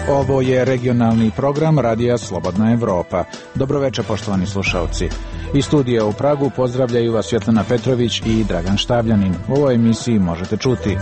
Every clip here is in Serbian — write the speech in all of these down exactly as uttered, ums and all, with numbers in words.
Ovo je regionalni program Radija Slobodna Evropa. Dobroveče, poštovani slušalci. Iz studija u Pragu pozdravljaju vas Svetlana Petrović i Dragan Štavljanin. U ovoj emisiji možete čuti: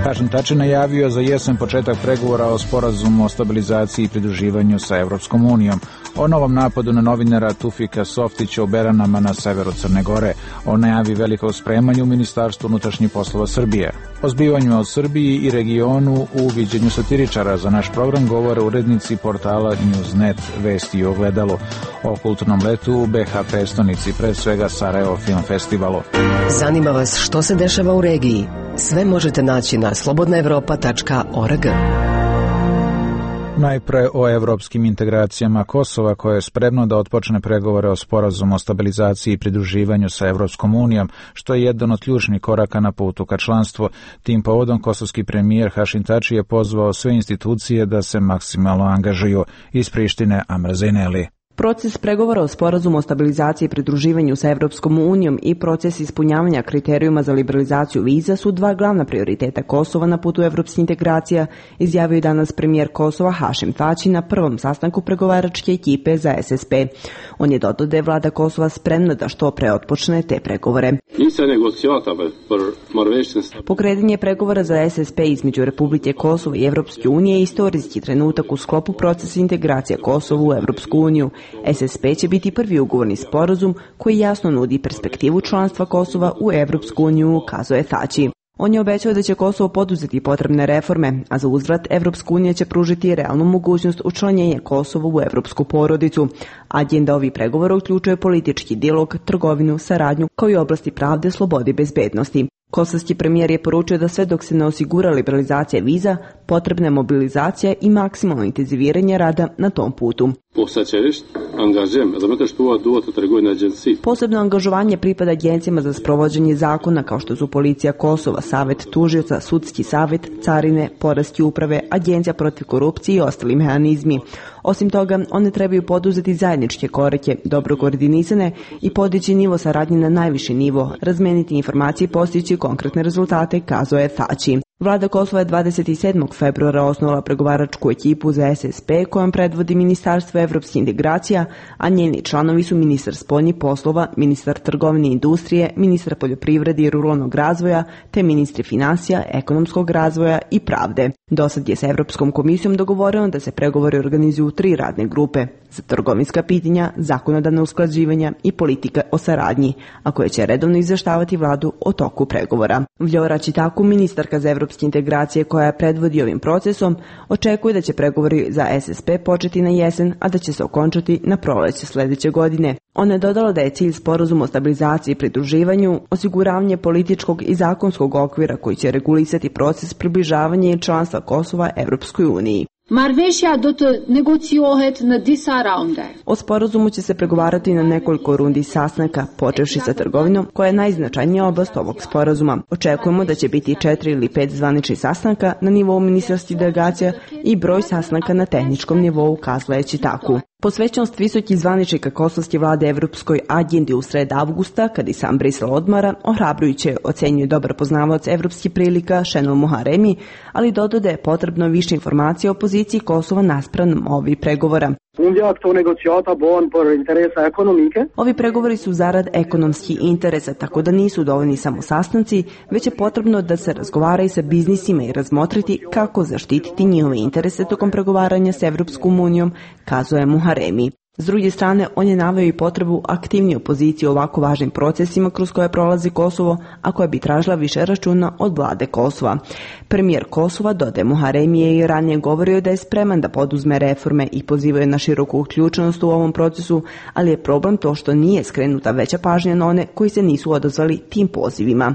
Hašim Tači najavio za jesen početak pregovora o sporazumu o stabilizaciji i pridruživanju sa Evropskom unijom, o novom napadu na novinara Tufika Softića u Beranama na severu Crne Gore, o najavi velikog spremanja u Ministarstvu unutrašnjih poslova Srbije, o zbivanjima o Srbiji i regionu u viđenju satiričara. Za naš program govore urednici portala Newsnet, Vesti i Ogledalu, o kulturnom letu u be ha prestonici, pre svega Sarajevo Film Festivalu. Zanima vas što se dešava u regiji? Sve možete naći na slobodna evropa tačka org. Najpre o evropskim integracijama Kosova, koje je spremno da otpočne pregovore o sporazumu o stabilizaciji i pridruživanju sa Evropskom unijom, što je jedan od ključnih koraka na putu ka članstvu. Tim povodom kosovski premijer Hašim Tači je pozvao sve institucije da se maksimalno angažuju. Iz Prištine, Amra Zejneli. Proces pregovora o sporazumu o stabilizaciji i pridruživanju sa Evropskom unijom i proces ispunjavanja kriterijuma za liberalizaciju viza su dva glavna prioriteta Kosova na putu evropskih integracija, izjavio je danas premijer Kosova Hašim Tači na prvom sastanku pregovaračke ekipe za es es pe. On je dodao da je vlada Kosova spremna da što pre otpočne te pregovore. Pokretanje pregovora za es es pe između Republike Kosova i Evropske unije je istorijski trenutak u sklopu procesa integracija Kosova u Evropsku uniju. es es pe će biti prvi ugovorni sporazum koji jasno nudi perspektivu članstva Kosova u Evropsku uniju, kazao je Tači. On je obećao da će Kosovo poduzeti potrebne reforme, a za uzvrat Evropska unija će pružiti realnu mogućnost učlanjenja Kosova u evropsku porodicu. Agenda ovih pregovora uključuje politički dijalog, trgovinu, saradnju, kao i oblasti pravde, slobode i bezbednosti. Kosovski premijer je poručio da sve dok se ne osigura liberalizacija viza, potrebna je mobilizacija i maksimalno intenziviranje rada na tom putu. Posebno angažovanje pripada agencijama za sprovođenje zakona kao što su Policija Kosova, Savet tužioca, Sudski savet, Carine, Poreske uprave, Agencija protiv korupcije i ostali mehanizmi. Osim toga, one trebaju poduzeti zajedničke korake, dobro koordinisane i podići nivo saradnje na najviši nivo, razmeniti informacije i postići konkretne rezultate, kazao je Tači. Vlada Kosova je dvadeset sedmog februara osnovala pregovaračku ekipu za es es pe kojom predvodi Ministarstvo evropskih integracija, a njeni članovi su ministar spoljnih poslova, ministar trgovine i industrije, ministar poljoprivrede i ruralnog razvoja, te ministri finansija, ekonomskog razvoja i pravde. Dosad je sa Evropskom komisijom dogovoreno da se pregovori organizuju u tri radne grupe za trgovinska pitanja, zakonodavna usklađivanja i politika o saradnji, a koje će redovno izveštavati vladu o toku pregovora. Vljora Čitaku, ministarka za evropske integracije koja je predvodi ovim procesom, očekuje da će pregovori za es es pe početi na jesen, a da će se okončati na proleće sledeće godine. Ona je dodala da je cilj sporazuma o stabilizaciji i pridruživanju osiguravanje političkog i zakonskog okvira koji će regulisati proces približavanja i članstva Kosova Evropskoj uniji. Marrëveshja do të negociohet në disa raunde. O sporazumu će se pregovarati na nekoliko rundi sastanka, počevši sa trgovinom, koja je najznačajnija oblast ovog sporazuma. Očekujemo da će biti četiri ili pet zvaničnih sastanka na nivou ministarskih delegacija i broj sastanka na tehničkom nivou, kazala je Čitaku. Posvećenost visokih zvaničnika kosovske vlade evropskoj agendi u sred avgusta, kad i sam Brisel odmara, ohrabrujuće ocenjuje dobar poznavaoc evropskih prilika Šenol Muharemi, ali dodao da je potrebno više informacija o poziciji Kosova naspram ovih pregovora. Ovi pregovori su zarad ekonomskih interesa, tako da nisu dovoljni samo sastanci, već je potrebno da se razgovara i sa biznisima i razmotriti kako zaštititi njihove interese tokom pregovaranja s Evropskom unijom, kazuje Muharemi. S druge strane, on je naveo i potrebu aktivnije opozicije u ovako važnim procesima kroz koje prolazi Kosovo, a koja bi tražila više računa od vlade Kosova. Premijer Kosova, dodaje Muharemi, je i ranije govorio da je spreman da poduzme reforme i pozivaju na široku uključenost u ovom procesu, ali je problem to što nije skrenuta veća pažnja na one koji se nisu odazvali tim pozivima.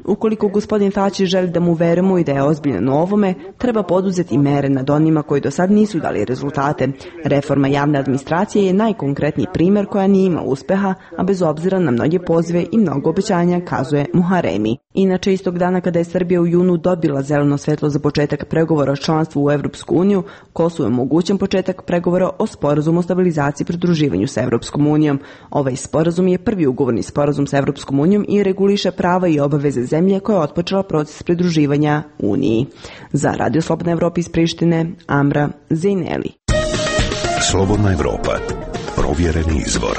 Ukoliko gospodin Fači želi da mu verujemo i da je ozbiljan u ovome, treba poduzeti mere nad onima koji do sad nisu dali rezultate. Reforma javne administracije je najkonkretniji primjer koja nije ima uspeha, a bez obzira na mnoge pozive i mnogo obećanja, kazuje Muharemi. Inače, istog dana kada je Srbija u junu dobila zeleno svetlo za početak pregovora o članstvu u Evropsku uniju, Kosovu je omogućen početak pregovora o sporazumu o stabilizaciji i pridruživanju sa Evropskom unijom. Ovaj sporazum je prvi ugovorni sporazum sa Evropskom unijom i reguliše prava i obaveze zemlje koja je otpočela proces pridruživanja Uniji. Za Radio Slobodna Evropa iz Prištine, Amra Zejneli. Slobodna Evropa. Provjereni izvor.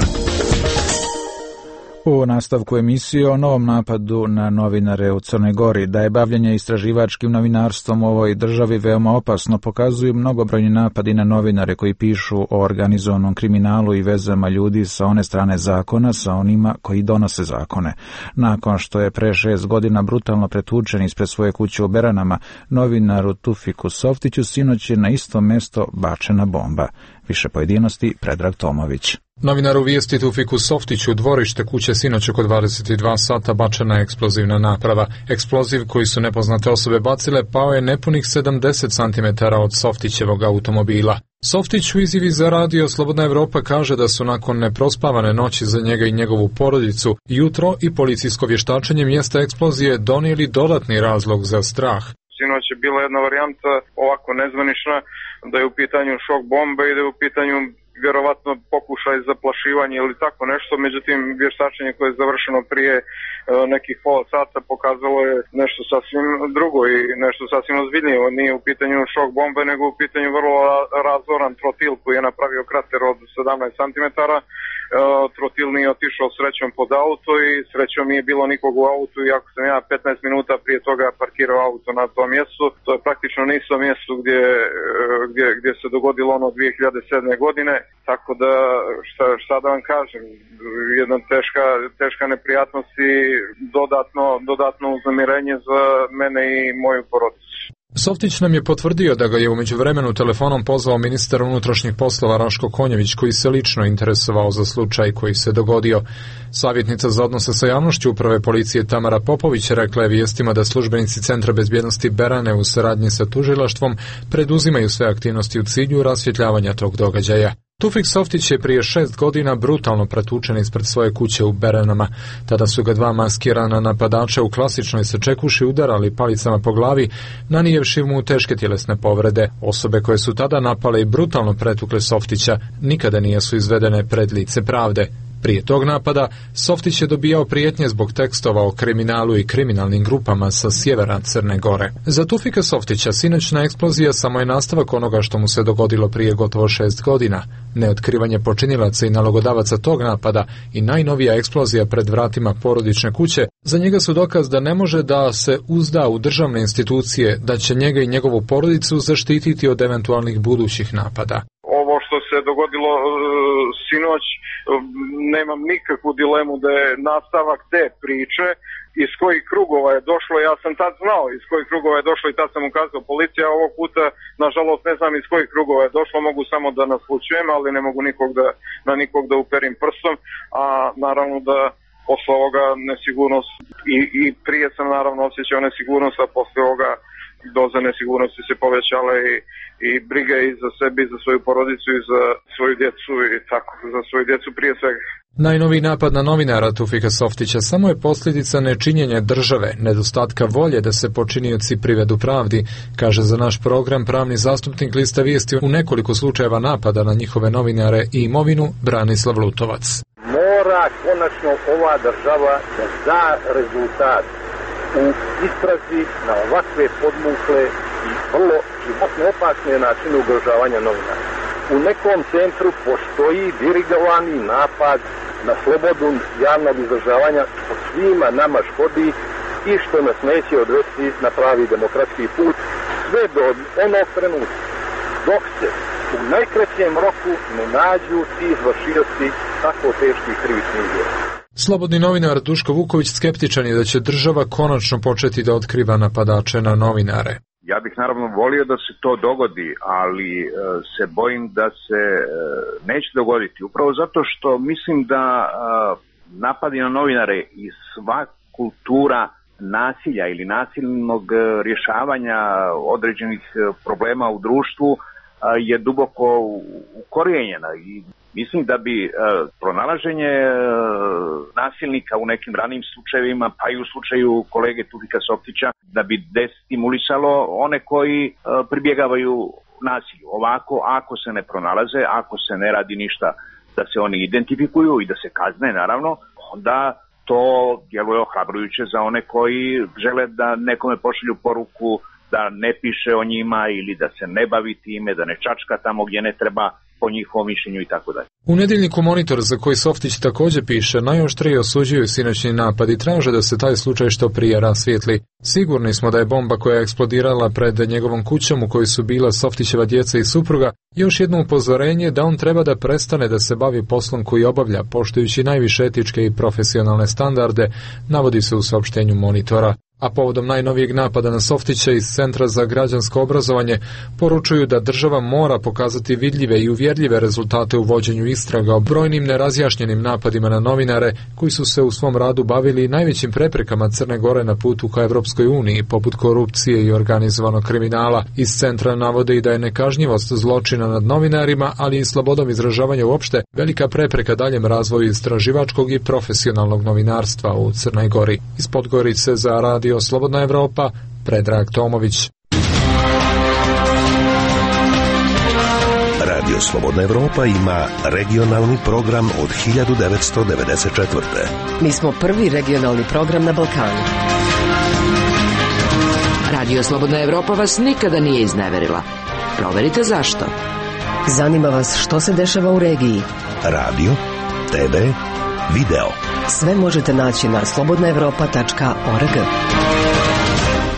U nastavku emisije o novom napadu na novinare u Crnoj Gori. Da je bavljenje istraživačkim novinarstvom u ovoj državi veoma opasno, pokazuju mnogobrojni napadi na novinare koji pišu o organizovanom kriminalu i vezama ljudi sa one strane zakona sa onima koji donose zakone. Nakon što je pre šest godina brutalno pretučen ispred svoje kuće u Beranama, novinaru Tufiku Softiću sinoć je na isto mesto bačena bomba. Više pojedinosti Predrag Tomović. Novinaru vijesti Tufiku Softiću u dvorište kuće sinoć oko dvadeset dva sata bačena je eksplozivna naprava. Eksploziv koji su nepoznate osobe bacile pao je nepunih sedamdeset centimetara od Softićevog automobila. Softić u izjavi za Radio Slobodna Evropa kaže da su nakon neprospavane noći za njega i njegovu porodicu jutro i policijsko vještačenje mjesta eksplozije donijeli dodatni razlog za strah. Sinoć je bila jedna varijanta ovako nezvanična, da je u pitanju šok bomba i da je u pitanju vjerovatno pokušaj zaplašivanja ili tako nešto, međutim vještačenje koje je završeno prije e, nekih pola sata pokazalo je nešto sasvim drugo i nešto sasvim ozbiljnije. Nije u pitanju šok bombe, nego u pitanju vrlo razoran trotil koji je napravio krater od sedamnaest centimetara. E, trotil nije otišao srećom pod auto i srećom nije bilo nikog u autu, iako sam ja petnaest minuta prije toga parkirao auto na tom mjestu. To je praktično na istom mjestu gdje, gdje, gdje se dogodilo ono dvije hiljade sedme godine. Tako da, šta, šta da vam kažem, jedna teška, teška neprijatnost i dodatno, dodatno uznemirenje za mene i moju porodicu. Softić nam je potvrdio da ga je u međuvremenu telefonom pozvao ministar unutrašnjih poslova Raško Konjević, koji se lično interesovao za slučaj koji se dogodio. Savjetnica za odnose sa javnošću uprave policije Tamara Popović rekla je vijestima da službenici Centra bezbjednosti Berane u saradnji sa tužilaštvom preduzimaju sve aktivnosti u cilju rasvjetljavanja tog događaja. Tufik Softić je prije šest godina brutalno pretučen ispred svoje kuće u Beranama. Tada su ga dva maskirana napadača u klasičnoj sečekuši udarali palicama po glavi, nanijevši mu teške tjelesne povrede. Osobe koje su tada napale i brutalno pretukle Softića nikada nisu izvedene pred lice pravde. Prije tog napada, Softić je dobijao prijetnje zbog tekstova o kriminalu i kriminalnim grupama sa sjevera Crne Gore. Za Tufika Softića sinoćna eksplozija samo je nastavak onoga što mu se dogodilo prije gotovo šest godina. Neotkrivanje počinilaca i nalogodavaca tog napada i najnovija eksplozija pred vratima porodične kuće za njega su dokaz da ne može da se uzda u državne institucije, da će njega i njegovu porodicu zaštititi od eventualnih budućih napada. Ovo što se dogodilo uh, sinoć, uh, nemam nikakvu dilemu da je nastavak te priče. Iz kojih krugova je došlo, ja sam tad znao iz kojih krugova je došlo i tad sam ukazao policija. Ovog puta, nažalost, ne znam iz kojih krugova je došlo, mogu samo da naslučujem, ali ne mogu nikog da, na nikog da uperim prstom, a naravno da posle ovoga nesigurnost i, i prije sam naravno osjećao nesigurnost, a posle ovoga doza nesigurnosti se povećala i, i briga i za sebe i za svoju porodicu i za svoju djecu i tako, za svoju djecu prije svega. Najnoviji napad na novinara Tufika Softića samo je posljedica nečinjenja države, nedostatka volje da se počinioci privedu pravdi, kaže za naš program pravni zastupnik Lista vijesti u nekoliko slučajeva napada na njihove novinare i imovinu Branislav Lutovac. Mora konačno ova država da da rezultat u istrazi na ovakve podmukle i vrlo životno opasne načine ugrožavanja novinara. U nekom centru postoji dirigovani napad na slobodu javnog izražavanja što svima nama škodi i što nas neće odvesti na pravi demokratski put sve do onog trenutka dok se u najkraćem roku ne nađu ti izvršioci tako teških krivičnih djela. Slobodni novinar Duško Vuković skeptičan je da će država konačno početi da otkriva napadače na novinare. Ja bih naravno volio da se to dogodi, ali e, se bojim da se e, neće dogoditi. Upravo zato što mislim da e, napadi na novinare i sva kultura nasilja ili nasilnog rješavanja određenih problema u društvu je duboko ukorijenjena i mislim da bi pronalaženje nasilnika u nekim ranijim slučajevima, pa i u slučaju kolege Tufika Softića, da bi destimulisalo one koji pribjegavaju nasilju. Ovako, ako se ne pronalaze, ako se ne radi ništa da se oni identifikuju i da se kazne, naravno, onda to djeluje ohrabrujuće za one koji žele da nekome pošalju poruku da ne piše o njima ili da se ne bavi time, da ne čačka tamo gdje ne treba po njihovom mišljenju i tako dalje. U nedjeljniku Monitor, za koji Softić također piše, najoštrije osuđuju sinoćni napad i traže da se taj slučaj što prije rasvijetli. Sigurni smo da je bomba koja je eksplodirala pred njegovom kućom u kojoj su bila Softićeva djeca i supruga još jedno upozorenje da on treba da prestane da se bavi poslom koji obavlja, poštujući najviše etičke i profesionalne standarde, navodi se u saopštenju Monitora. A povodom najnovijeg napada na Softića iz Centra za građansko obrazovanje poručuju da država mora pokazati vidljive i uvjerljive rezultate u vođenju istraga o brojnim nerazjašnjenim napadima na novinare koji su se u svom radu bavili najvećim preprekama Crne Gore na putu ka Evropskoj uniji, poput korupcije i organizovanog kriminala. Iz centra navode i da je nekažnjivost zločina nad novinarima, ali i slobodom izražavanja uopšte, velika prepreka daljem razvoju istraživačkog i profesionalnog novinarstva u Crnoj Gori. Iz Podgorice za Radio Slobodna Evropa, Predrag Tomović. Radio Slobodna Evropa ima regionalni program od hiljadu devetsto devedeset četvrte. Mi smo prvi regionalni program na Balkanu. Radio Slobodna Evropa vas nikada nije izneverila. Proverite zašto. Zanima vas što se dešava u regiji. Radio, te ve, video. Sve možete naći na slobodna evropa tačka org.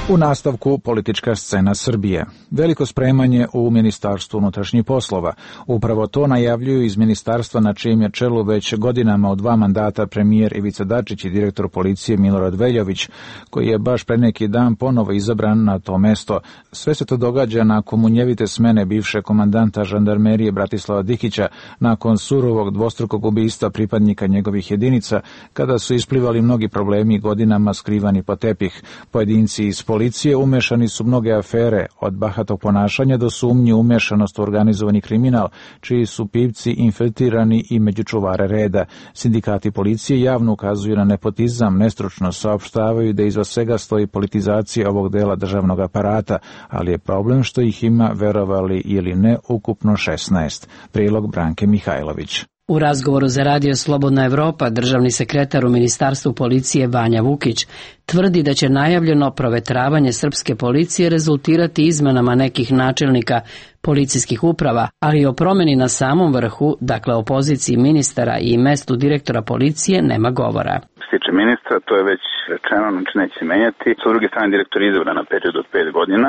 U nastavku politička scena Srbije. Veliko spremanje u Ministarstvu unutrašnjih poslova. Upravo to najavljuju iz ministarstva na čijem je čelu već godinama od dva mandata premijer Ivica Dačić i direktor policije Milorad Veljović, koji je baš pre neki dan ponovo izabran na to mesto. Sve se to događa nakon munjevite smene bivše komandanta žandarmerije Bratislava Dikića, nakon surovog dvostrukog ubistva pripadnika njegovih jedinica, kada su isplivali mnogi problemi godinama skrivani po tepih. Pojedinci iz policije umešani su mnoge afere, od bahatog ponašanja do sumnji umešanost u organizovani kriminal, čiji su pipci infiltrirani i među čuvare reda. Sindikati policije javno ukazuju na nepotizam, nestručno saopštavaju da iza svega stoji politizacija ovog dela državnog aparata, ali je problem što ih ima, verovali ili ne, ukupno šesnaest. Prilog Branke Mihajlović. U razgovoru za Radio Slobodna Evropa državni sekretar u Ministarstvu policije Vanja Vukić tvrdi da će najavljeno provetravanje srpske policije rezultirati izmenama nekih načelnika policijskih uprava, ali i o promjeni na samom vrhu, dakle o poziciji ministara i mestu direktora policije, nema govora. Što se tiče ministra, to je već rečeno, znači neće se menjati. Sa druge strane, direktor je izabran na period od pet godina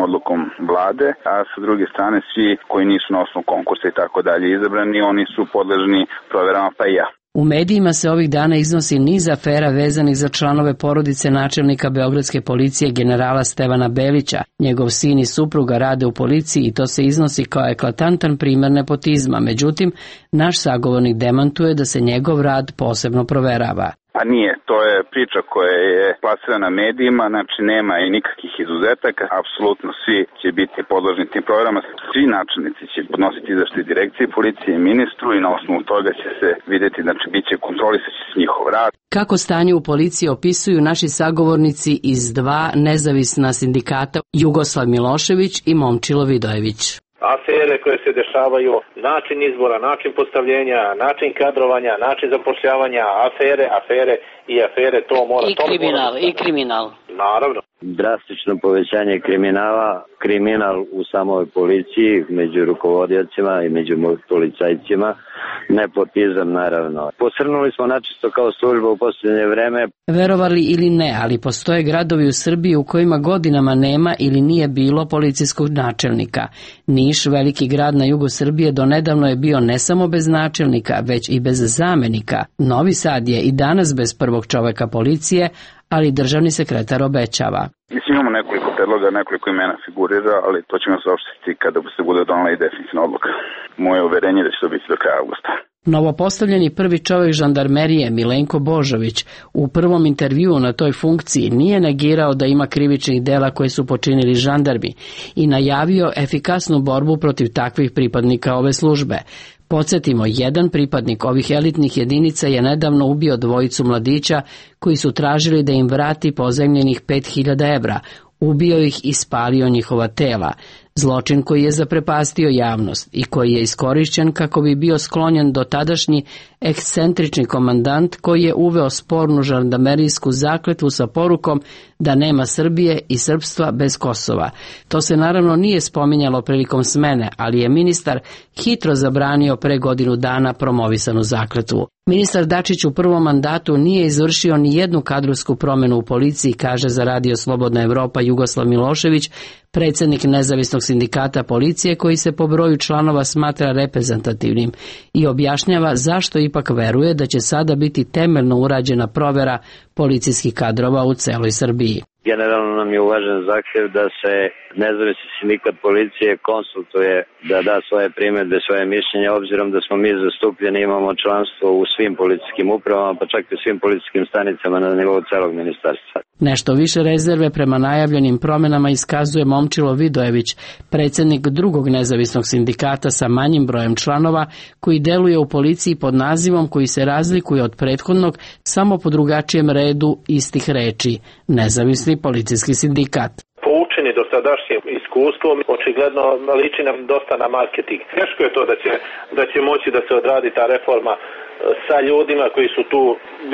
odlukom vlade, a sa druge strane svi koji nisu na osnovu konkursa i tako dalje izabrani, oni su podležni proverama, pa i ja. U medijima se ovih dana iznosi niz afera vezanih za članove porodice načelnika beogradske policije generala Stevana Belića. Njegov sin i supruga rade u policiji i to se iznosi kao eklatantan primjer nepotizma. Međutim, naš sagovornik demantuje da se njegov rad posebno proverava. Pa nije, to je priča koja je plasirana medijima, znači nema i nikakvih izuzetaka, apsolutno svi će biti podložni tim programama, svi načelnici će podnositi izveštaj direkcije policije i ministru i na osnovu toga će se vidjeti, znači bit će kontrolisati se njihov rad. Kako stanje u policiji opisuju naši sagovornici iz dva nezavisna sindikata Jugoslav Milošević i Momčilo Vidojević. Afere koje se dešavaju, način izbora, način postavljenja, način kadrovanja, način zapošljavanja, afere, afere i afere, to mora... I kriminal, i kriminal. Naravno. Drastično povećanje kriminala, kriminal u samoj policiji, među rukovodiocima i među policajcima, nepotizam naravno. Posrnuli smo načisto kao služba u posljednje vreme. Verovali ili ne, ali postoje gradovi u Srbiji u kojima godinama nema ili nije bilo policijskog načelnika. Niš, veliki grad na jugu Srbije, donedavno je bio ne samo bez načelnika, već i bez zamenika. Novi Sad je i danas bez prvog čoveka policije, ali državni sekretar obećava. Mislim, imamo nekoliko predloga, nekoliko imena figurira, ali to ćemo saopštiti kada se bude donela i definitivna odluka. Moje uverenje je da će to biti do kraja avgusta. Novopostavljeni prvi čovjek žandarmerije Milenko Božović u prvom intervjuu na toj funkciji nije negirao da ima krivičnih dela koje su počinili žandarmi i najavio efikasnu borbu protiv takvih pripadnika ove službe. Podsjetimo, jedan pripadnik ovih elitnih jedinica je nedavno ubio dvojicu mladića koji su tražili da im vrati pozajmljenih pet hiljada evra. Ubio ih i spalio njihova tela. Zločin koji je zaprepastio javnost i koji je iskorišćen kako bi bio sklonjen do tadašnji ekscentrični komandant koji je uveo spornu žandarmerijsku zakletvu sa porukom da nema Srbije i srpstva bez Kosova. To se naravno nije spominjalo prilikom smene, ali je ministar hitro zabranio pre godinu dana promovisanu zakletvu. Ministar Dačić u prvom mandatu nije izvršio ni jednu kadrovsku promjenu u policiji, kaže za Radio Slobodna Evropa Jugoslav Milošević, predsjednik nezavisnog sindikata policije koji se po broju članova smatra reprezentativnim i objašnjava zašto ipak veruje da će sada biti temeljno urađena provjera policijskih kadrova u celoj Srbiji. Generalno nam je uvažen zahtjev da se nezavisni sindikat policije konsultuje, da da svoje primjedbe, svoje mišljenje, obzirom da smo mi zastupljeni, imamo članstvo u svim policijskim upravama, pa čak i u svim policijskim stanicama na nivou celog ministarstva. Nešto više rezerve prema najavljenim promjenama iskazuje Momčilo Vidojević, predsjednik drugog nezavisnog sindikata sa manjim brojem članova, koji deluje u policiji pod nazivom koji se razlikuje od prethodnog samo po drugačijem redu istih reči, nezavisni policijski sindikat. Poučeni dosadašnjim iskustvom, očigledno liči nam dosta na marketing. Teško je to da će, da će moći da se odradi ta reforma sa ljudima koji su tu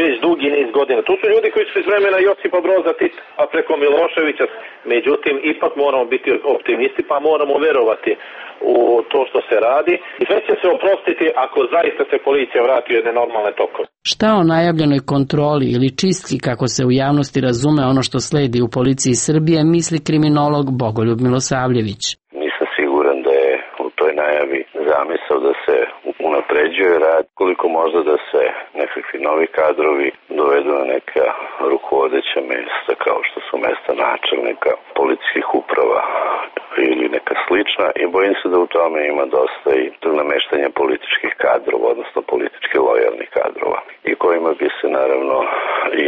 već dugi niz godina. Tu su ljudi koji su iz vremena Josipa Broza Tita, a preko Miloševića. Međutim, ipak moramo biti optimisti, pa moramo verovati u to što se radi. I sve će se oprostiti ako zaista se policija vrati u jedne normalne tokove. Šta o najavljenoj kontroli ili čistki, kako se u javnosti razume ono što sledi u policiji Srbije, misli kriminolog Bogoljub Milosavljević. Nisam siguran da je u toj najavi zamisao da se unapređuje rad, koliko možda da se nekakvi novi kadrovi dovedu na neka rukovodeća mjesta kao što su mesta načelnika, policijskih uprava ili neka slična, i bojim se da u tome ima dosta i nameštanja političkih kadrova, odnosno politički lojalnih kadrova, i kojima bi se naravno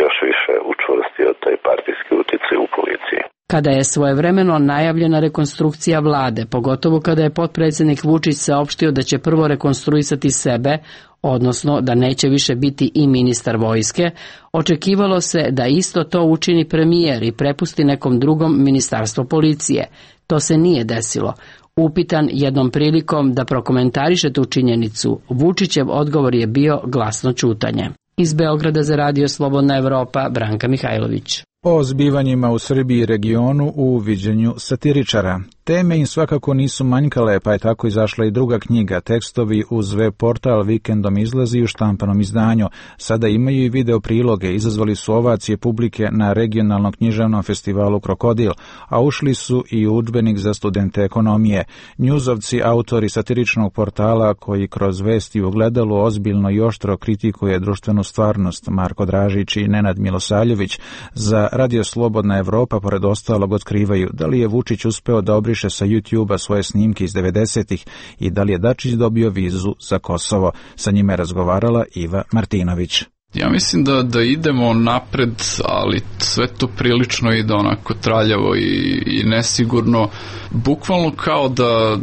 još više učvrstio taj partijski uticaj u policiji. Kada je svojevremeno najavljena rekonstrukcija vlade, pogotovo kada je potpredsjednik Vučić saopštio da će prvo rekonstruisati sebe, odnosno da neće više biti i ministar vojske, očekivalo se da isto to učini premijer i prepusti nekom drugom ministarstvo policije. To se nije desilo. Upitan jednom prilikom da prokomentariše tu činjenicu, Vučićev odgovor je bio glasno ćutanje. Iz Beograda za Radio Slobodna Evropa, Branka Mihajlović. O zbivanjima u Srbiji i regionu u viđenju satiričara. Teme im svakako nisu manjkale, pa je tako izašla i druga knjiga. Tekstovi uz web portal Vikendom izlazi u štampanom izdanju. Sada imaju i video priloge, izazvali su ovacije publike na regionalnom književnom festivalu Krokodil, a ušli su i u udžbenik za studente ekonomije. Njuzovci, autori satiričnog portala koji kroz vesti u ogledalu ozbiljno i oštro kritikuje društvenu stvarnost, Marko Dražić i Nenad Milosavljević, za Radio Slobodna Evropa pored ostalog otkrivaju da li je Vučić uspeo da obriše sa YouTube-a svoje snimke iz devedesetih i da li je Dačić dobio vizu za Kosovo. Sa njima je razgovarala Iva Martinović. Ja mislim da, da idemo napred, ali sve to prilično ide onako traljavo i, i nesigurno, bukvalno kao da,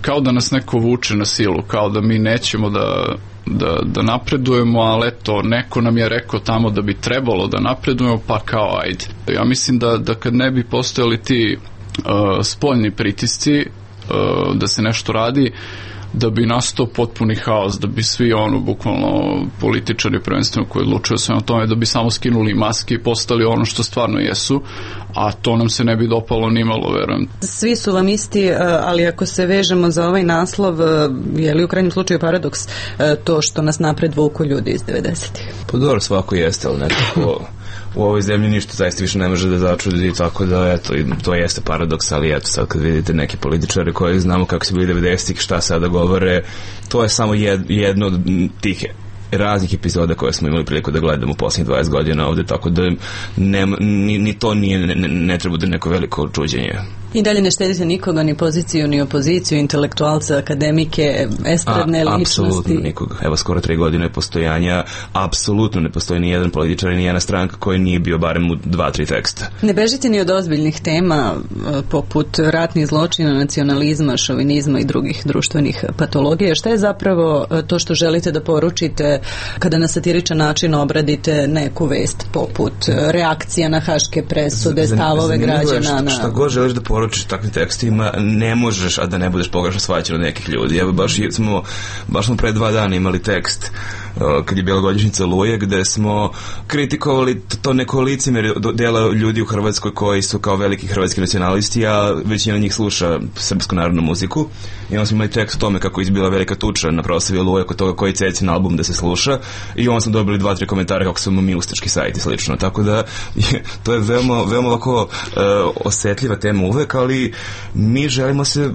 kao da nas neko vuče na silu, kao da mi nećemo da Da, da napredujemo, ali eto, neko nam je rekao tamo da bi trebalo da napredujemo, pa kao ajde. Ja mislim da, da kad ne bi postojali ti uh, spoljni pritisci uh, da se nešto radi, da bi nastao potpuni haos, da bi svi ono, bukvalno političari prvenstveno koji odlučuju sve o tome, da bi samo skinuli maske i postali ono što stvarno jesu, a to nam se ne bi dopalo nimalo, verujem. Svi su vam isti, ali ako se vežemo za ovaj naslov, je li u krajnjem slučaju paradoks to što nas napred vuku ljudi iz devedesetih? Pa dobro, svako jeste, ali nekako u ovoj zemlji ništa zaista više ne može da začudi, tako da eto, to jeste paradoks, ali eto sad kad vidite neke političare koji znamo kako su bili devedesetih, šta sada govore, to je samo jed, jedno od tih raznih epizoda koje smo imali priliku da gledamo u posljednjih dvadeset godina ovde, tako da ne, ni, ni to nije, ne, ne treba da neko veliko čuđenje. I dalje ne štedite nikoga, ni poziciju, ni opoziciju, intelektualce, akademike, estradne A, ličnosti? Apsolutno nikoga. Evo, skoro tri godine postojanja, apsolutno ne postoji ni jedan političar, ni jedna stranka koji nije bio barem u dva, tri teksta. Ne bežite ni od ozbiljnih tema poput ratnih zločina, nacionalizma, šovinizma i drugih društvenih patologija. Šta je zapravo to što želite da poručite kada na satiričan način obradite neku vest poput reakcija na haške presude, stavove građana? Na... Šta god želiš da poručiš takvim tekstima, ne možeš, a da ne budeš pogrešno shvaćen od nekih ljudi. Evo, baš smo, baš smo pre dva dana imali tekst kad je bila godišnjica Oluje, gde smo kritikovali to neko licemjerje dela ljudi u Hrvatskoj koji su kao veliki hrvatski nacionalisti, a većina njih sluša srpsku narodnu muziku. I onda smo imali tekst o tome kako je izbila velika tuča na proslavi Oluje oko toga koji Cecin album da se sluša, i onda smo dobili dva, tri komentare kako smo mi ustaški sajt i slično. Tako da to je veoma, veoma ovako uh, osetljiva tema uvek, ali mi želimo se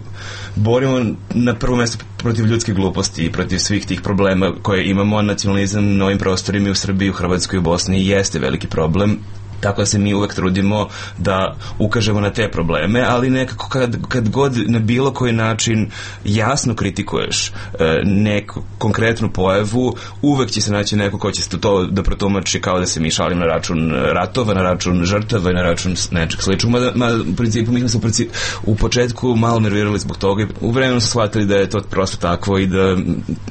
borimo na prvo mjesto protiv ljudske gluposti i protiv svih tih problema koje imamo. Nacionalizam na ovim prostorima i u Srbiji, u Hrvatskoj i u Bosni jeste veliki problem. Tako da se mi uvek trudimo da ukažemo na te probleme, ali nekako kad, kad god na bilo koji način jasno kritikuješ e, neku konkretnu pojavu, uvek će se naći neko ko će to da protumači kao da se mi šalim na račun ratova, na račun žrtava i na račun nečeg sličnog. Ma, ma, u principu, mi smo u početku malo nervirali zbog toga i u vremenu smo shvatili da je to prosto takvo i da,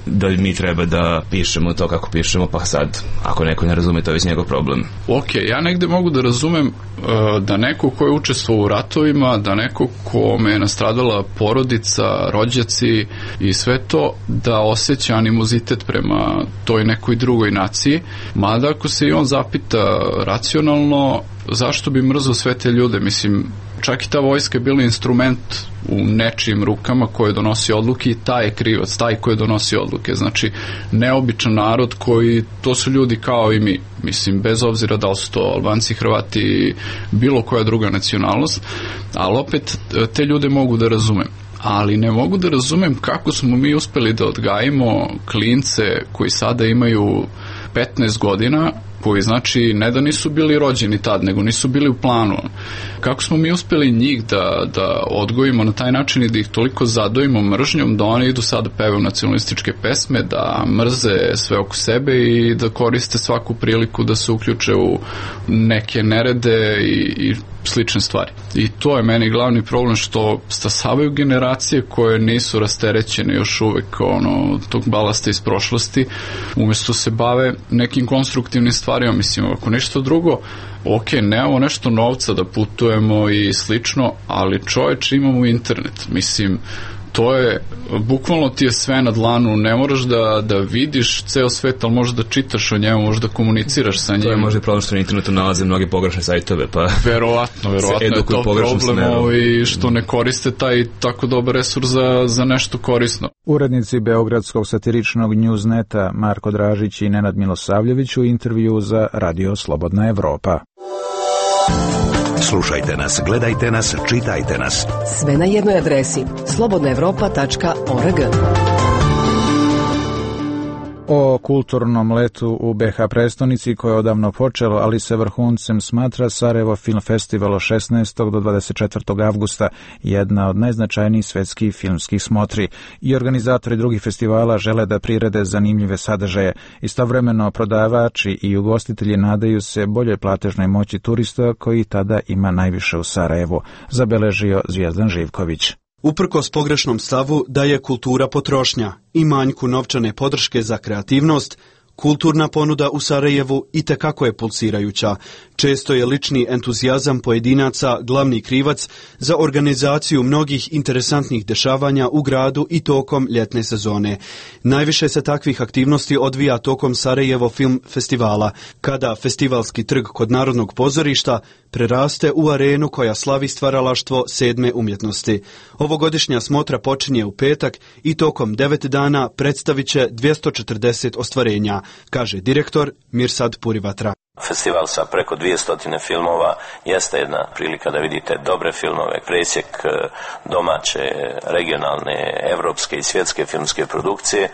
da mi treba da pišemo to kako pišemo, pa sad, ako neko ne razume, to je već njegov problem. Ok, ja negde mogu da razumem uh, da neko ko je učestvovao u ratovima, da neko kome je nastradala porodica, rođaci i sve to, da osjeća animozitet prema toj nekoj drugoj naciji, mada ako se i on zapita racionalno, zašto bi mrzao sve te ljude? Mislim, čak i ta vojska je bila instrument u nečijim rukama koje donosi odluke i taj je krivac, taj koji donosi odluke. Znači, neobičan narod koji, to su ljudi kao i mi. Mislim, bez obzira da li su to Albanci, Hrvati, bilo koja druga nacionalnost, ali opet te ljude mogu da razumem. Ali ne mogu da razumem kako smo mi uspeli da odgajimo klince koji sada imaju petnaest godina, koji znači ne da nisu bili rođeni tad, nego nisu bili u planu. Kako smo mi uspeli njih da, da odgojimo na taj način i da ih toliko zadojimo mržnjom da oni idu sad da pevaju nacionalističke pesme, da mrze sve oko sebe i da koriste svaku priliku da se uključe u neke nerede i, i slične stvari. I to je meni glavni problem, što stasavaju generacije koje nisu rasterećene još uvek ono, tog balasta iz prošlosti, umjesto se bave nekim konstruktivnim stvarima. Mislim, ako ništa drugo, ok, nemamo nešto novca da putujemo i slično, ali čoveče, imamo internet. Mislim, to je, bukvalno ti je sve na dlanu, ne moraš da, da vidiš ceo svet, ali možeš da čitaš o njemu, možeš da komuniciraš sa njim. To je možda problem što na internetu nalaze mnoge pogrešne sajtove, pa... Verovatno, verovatno je to problem i što ne koriste taj tako dobar resurs za, za nešto korisno. Urednici Beogradskog satiričnog Newsneta Marko Dražić i Nenad Milosavljević u intervju za Radio Slobodna Evropa. Slušajte nas, gledajte nas, čitajte nas. Sve na jednoj adresi slobodna evropa tačka org. O kulturnom letu u be ha prestonici koje je odavno počelo, ali se vrhuncem smatra Sarajevo Film Festival od šesnaestog do dvadeset četvrtog avgusta, jedna od najznačajnijih svetskih filmskih smotri. I organizatori drugih festivala žele da prirede zanimljive sadržaje. Istovremeno prodavači i ugostitelji nadaju se boljoj platežnoj moći turista koji tada ima najviše u Sarajevu, zabeležio Zvijezdan Živković. Uprkos pogrešnom stavu da je kultura potrošnja i manjku novčane podrške za kreativnost, kulturna ponuda u Sarajevu itekako je pulsirajuća. Često je lični entuzijazam pojedinaca glavni krivac za organizaciju mnogih interesantnih dešavanja u gradu i tokom ljetne sezone. Najviše se takvih aktivnosti odvija tokom Sarajevo Film Festivala, kada festivalski trg kod Narodnog pozorišta preraste u arenu koja slavi stvaralaštvo sedme umjetnosti. Ovogodišnja smotra počinje u petak i tokom devet dana predstavit će dvjesto četrdeset ostvarenja, kaže direktor Mirsad Purivatra. Festival sa preko dvjesto filmova jeste jedna prilika da vidite dobre filmove, presjek domaće, regionalne, evropske i svjetske filmske produkcije.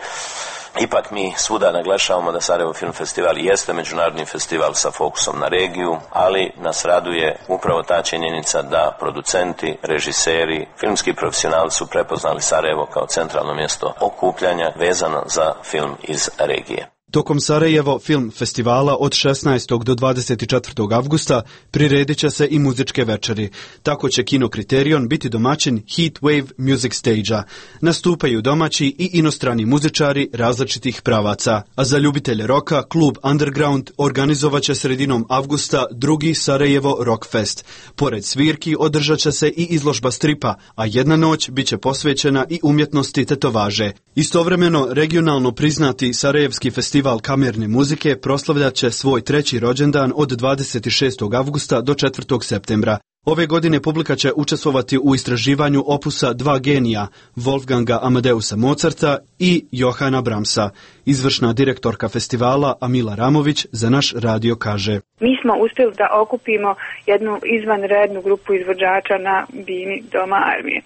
Ipak mi svuda naglašavamo da Sarajevo Film Festival jeste međunarodni festival sa fokusom na regiju, ali nas raduje upravo ta činjenica da producenti, režiseri, filmski profesionalci su prepoznali Sarajevo kao centralno mjesto okupljanja vezano za film iz regije. Tokom Sarajevo Film Festivala od šesnaestog do dvadeset četvrtog avgusta priredit će se i muzičke večeri. Tako će Kino Kriterion biti domaćin Heat Wave Music Stage-a. Nastupaju domaći i inostrani muzičari različitih pravaca. A za ljubitelje roka, klub Underground organizovat će sredinom avgusta drugi Sarajevo Rock Fest. Pored svirki održat će se i izložba stripa, a jedna noć bit će posvećena i umjetnosti tetovaže. Istovremeno, regionalno priznati Sarajevski festival Festival kamerne muzike proslavljat će svoj treći rođendan od dvadeset šestog avgusta do četvrtog septembra. Ove godine publika će učestvovati u istraživanju opusa dva genija, Wolfganga Amadeusa Mozarta i Johana Brahmsa. Izvršna direktorka festivala Amila Ramović za naš radio kaže: Mi smo uspjeli da okupimo jednu izvanrednu grupu izvođača na bini Doma armije.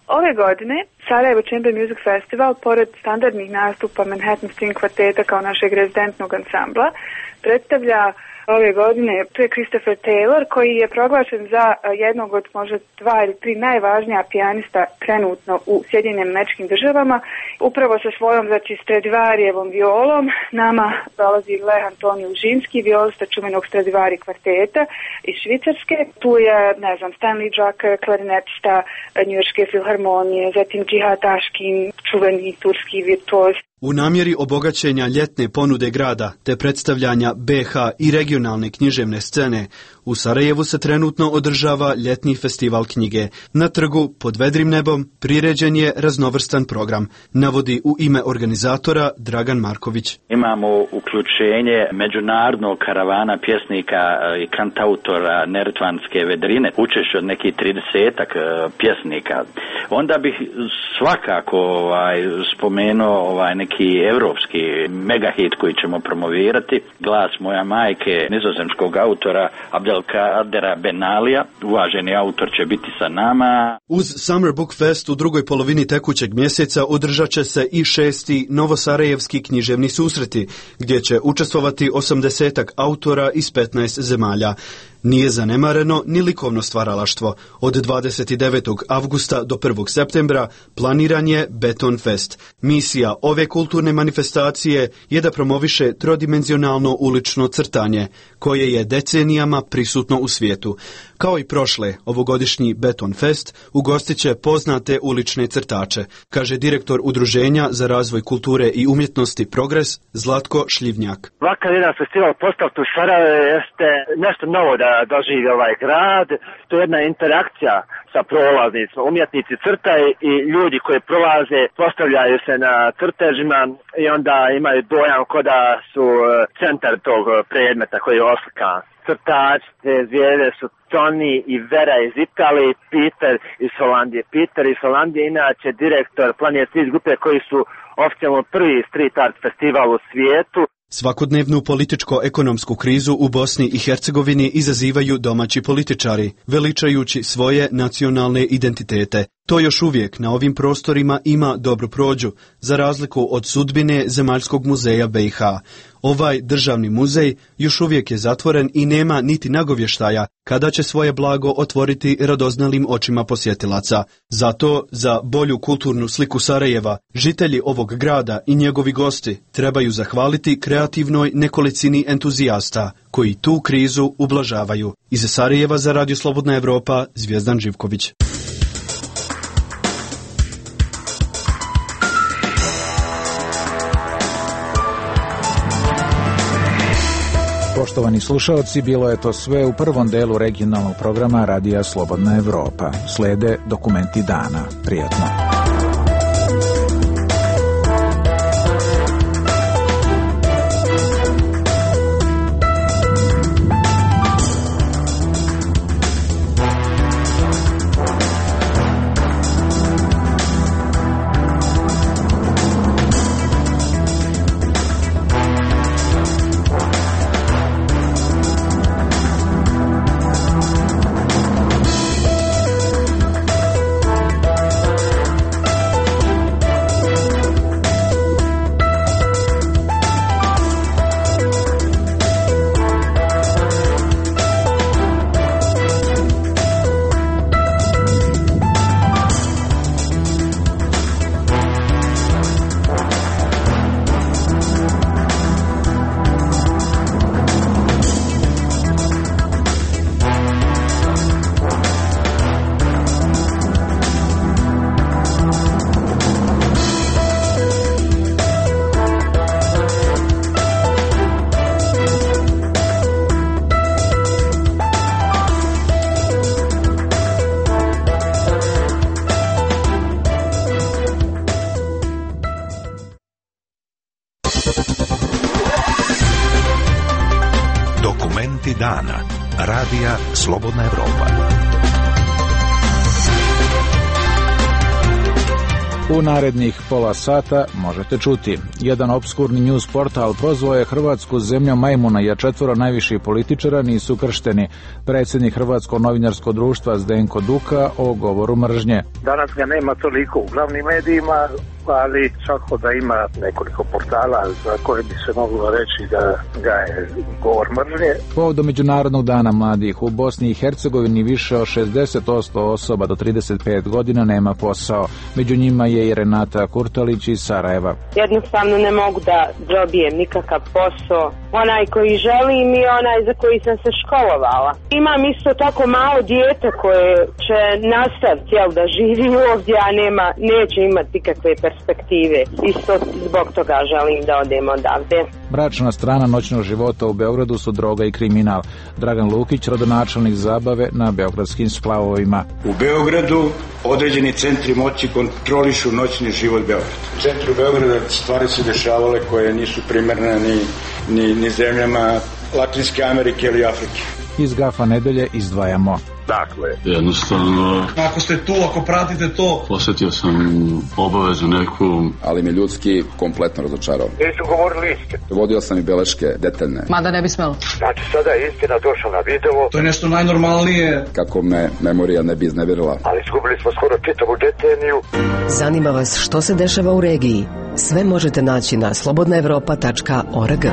Ove godine Sarajevo Chamber Music Festival, pored standardnih nastupa Manhattan String kvarteta kao našeg rezidentnog ansambla, predstavlja ove godine to je Christopher Taylor, koji je proglašen za jednog od možda dva ili tri najvažnija pijanista trenutno u Sjedinjenim Američkim Državama. Upravo sa svojom, znači, Stradivarijevom violom nama dolazi Leh Antonio Užinski, violista čuvenog Stradivari kvarteta iz Švicarske. Tu je, ne znam, Stanley Drucker, klarinetista Njujorške filharmonije, zatim Džihad Aškin, čuveni turski virtuoz. U namjeri obogaćenja ljetne ponude grada te predstavljanja be ha i regionalne književne scene, u Sarajevu se trenutno održava ljetni festival knjige. Na trgu pod vedrim nebom priređen je raznovrstan program, navodi u ime organizatora Dragan Marković. Imamo uključenje međunarodnog karavana pjesnika i kantautora Neretvanske vedrine, učešće od nekih tridesetak pjesnika. Onda bih svakako ovaj, spomenuo ovaj, neki evropski megahit koji ćemo promovirati, Glas moja majke, nizozemskog autora Abdelkadera Benalija. Uvaženi autor će biti sa nama. Uz Summer Book Fest u drugoj polovini tekućeg mjeseca održat će se i šesti Novosarajevski književni susreti, gdje će učestvovati osamdesetak autora iz petnaest zemalja. Nije zanemareno ni likovno stvaralaštvo. Od dvadeset devetog avgusta do prvog septembra planiran je Beton Fest. Misija ove kulturne manifestacije je da promoviše trodimenzionalno ulično crtanje, koje je decenijama prisutno u svijetu. Kao i prošle, ovogodišnji Beton Fest ugostit će poznate ulične crtače, kaže direktor Udruženja za razvoj kulture i umjetnosti Progres Zlatko Šljivnjak. Ovakav jedan festival postavljen u Sarajevo jeste nešto novo da doživi ovaj grad. To je jedna interakcija sa prolaznicima. Umjetnici crtaju i ljudi koji prolaze postavljaju se na crtežima i onda imaju dojam kao da su centar tog predmeta koji je oslikan. Crtači te zvijezde su Tony i Vera iz Italije, Peter iz Holandije. Peter iz Holandije inače direktor Planet Street grupe koji su oficijalno prvi street art festival u svijetu. Svakodnevnu političko-ekonomsku krizu u Bosni i Hercegovini izazivaju domaći političari, veličajući svoje nacionalne identitete. To još uvijek na ovim prostorima ima dobru prođu, za razliku od sudbine Zemaljskog muzeja be i ha. Ovaj državni muzej još uvijek je zatvoren i nema niti nagovještaja kada će svoje blago otvoriti radoznalim očima posjetilaca. Zato za bolju kulturnu sliku Sarajeva, žitelji ovog grada i njegovi gosti trebaju zahvaliti kreativnoj nekolicini entuzijasta koji tu krizu ublažavaju. Iz Sarajeva za Radio Slobodna Evropa, Zvijezdan Živković. Poštovani slušalci, bilo je to sve u prvom delu regionalnog programa Radija Slobodna Evropa. Slede dokumenti dana. Prijatno. Momenti dana. Radija Slobodna Evropa. U narednih pola sata možete čuti. Jedan obskurni news portal prozvao je Hrvatsku zemljom majmuna, jer četvoro najviših političara nisu kršteni. Predsjednik Hrvatskog novinarskog društva Zdenko Duka o govoru mržnje. Danas ga nema toliko u glavnim medijima, ali svako da ima nekoliko portala za koje bi se moglo reći da ga je govor mržnje. Povodom Međunarodnog dana mladih u Bosni i Hercegovini više od šezdeset posto osoba do trideset pet godina nema posao. Među njima je i Renata Kurtalić iz Sarajeva. Jednostavno ne mogu da dobijem nikakav posao. Onaj koji želim i onaj za koji sam se školovala. Imam isto tako malo dijete koje će nastaviti jel, da živi ovdje, a nema, neće imati nikakve perspektive. Isto zbog toga želim da odem odavde. Mračna strana noćnog života u Beogradu su droga i kriminal. Dragan Lukić, rodonačelnik zabave na beogradskim splavovima. U Beogradu određeni centri moći kontrolišu noćni život Beograda. U centru Beograda stvari se dešavale koje nisu primerne ni, ni, ni zemljama Latinske Amerike ili Afrike. Iz Gafa nedelje izdvajamo. Dakle, jednostavno, ako ste tu, ako pratite to, osjetio sam obavezu neku, ali me ljudski kompletno razočarao. Nisu govorili istinu. Vodio sam i beleške detaljne. Mada ne bi smelo. Znači, sada je istina došla na video. To je nešto najnormalnije. Kako me memorija ne bi iznevjerila. Ali izgubili smo skoro čitavu deceniju. Zanima vas što se dešava u regiji? Sve možete naći na slobodna evropa tačka org.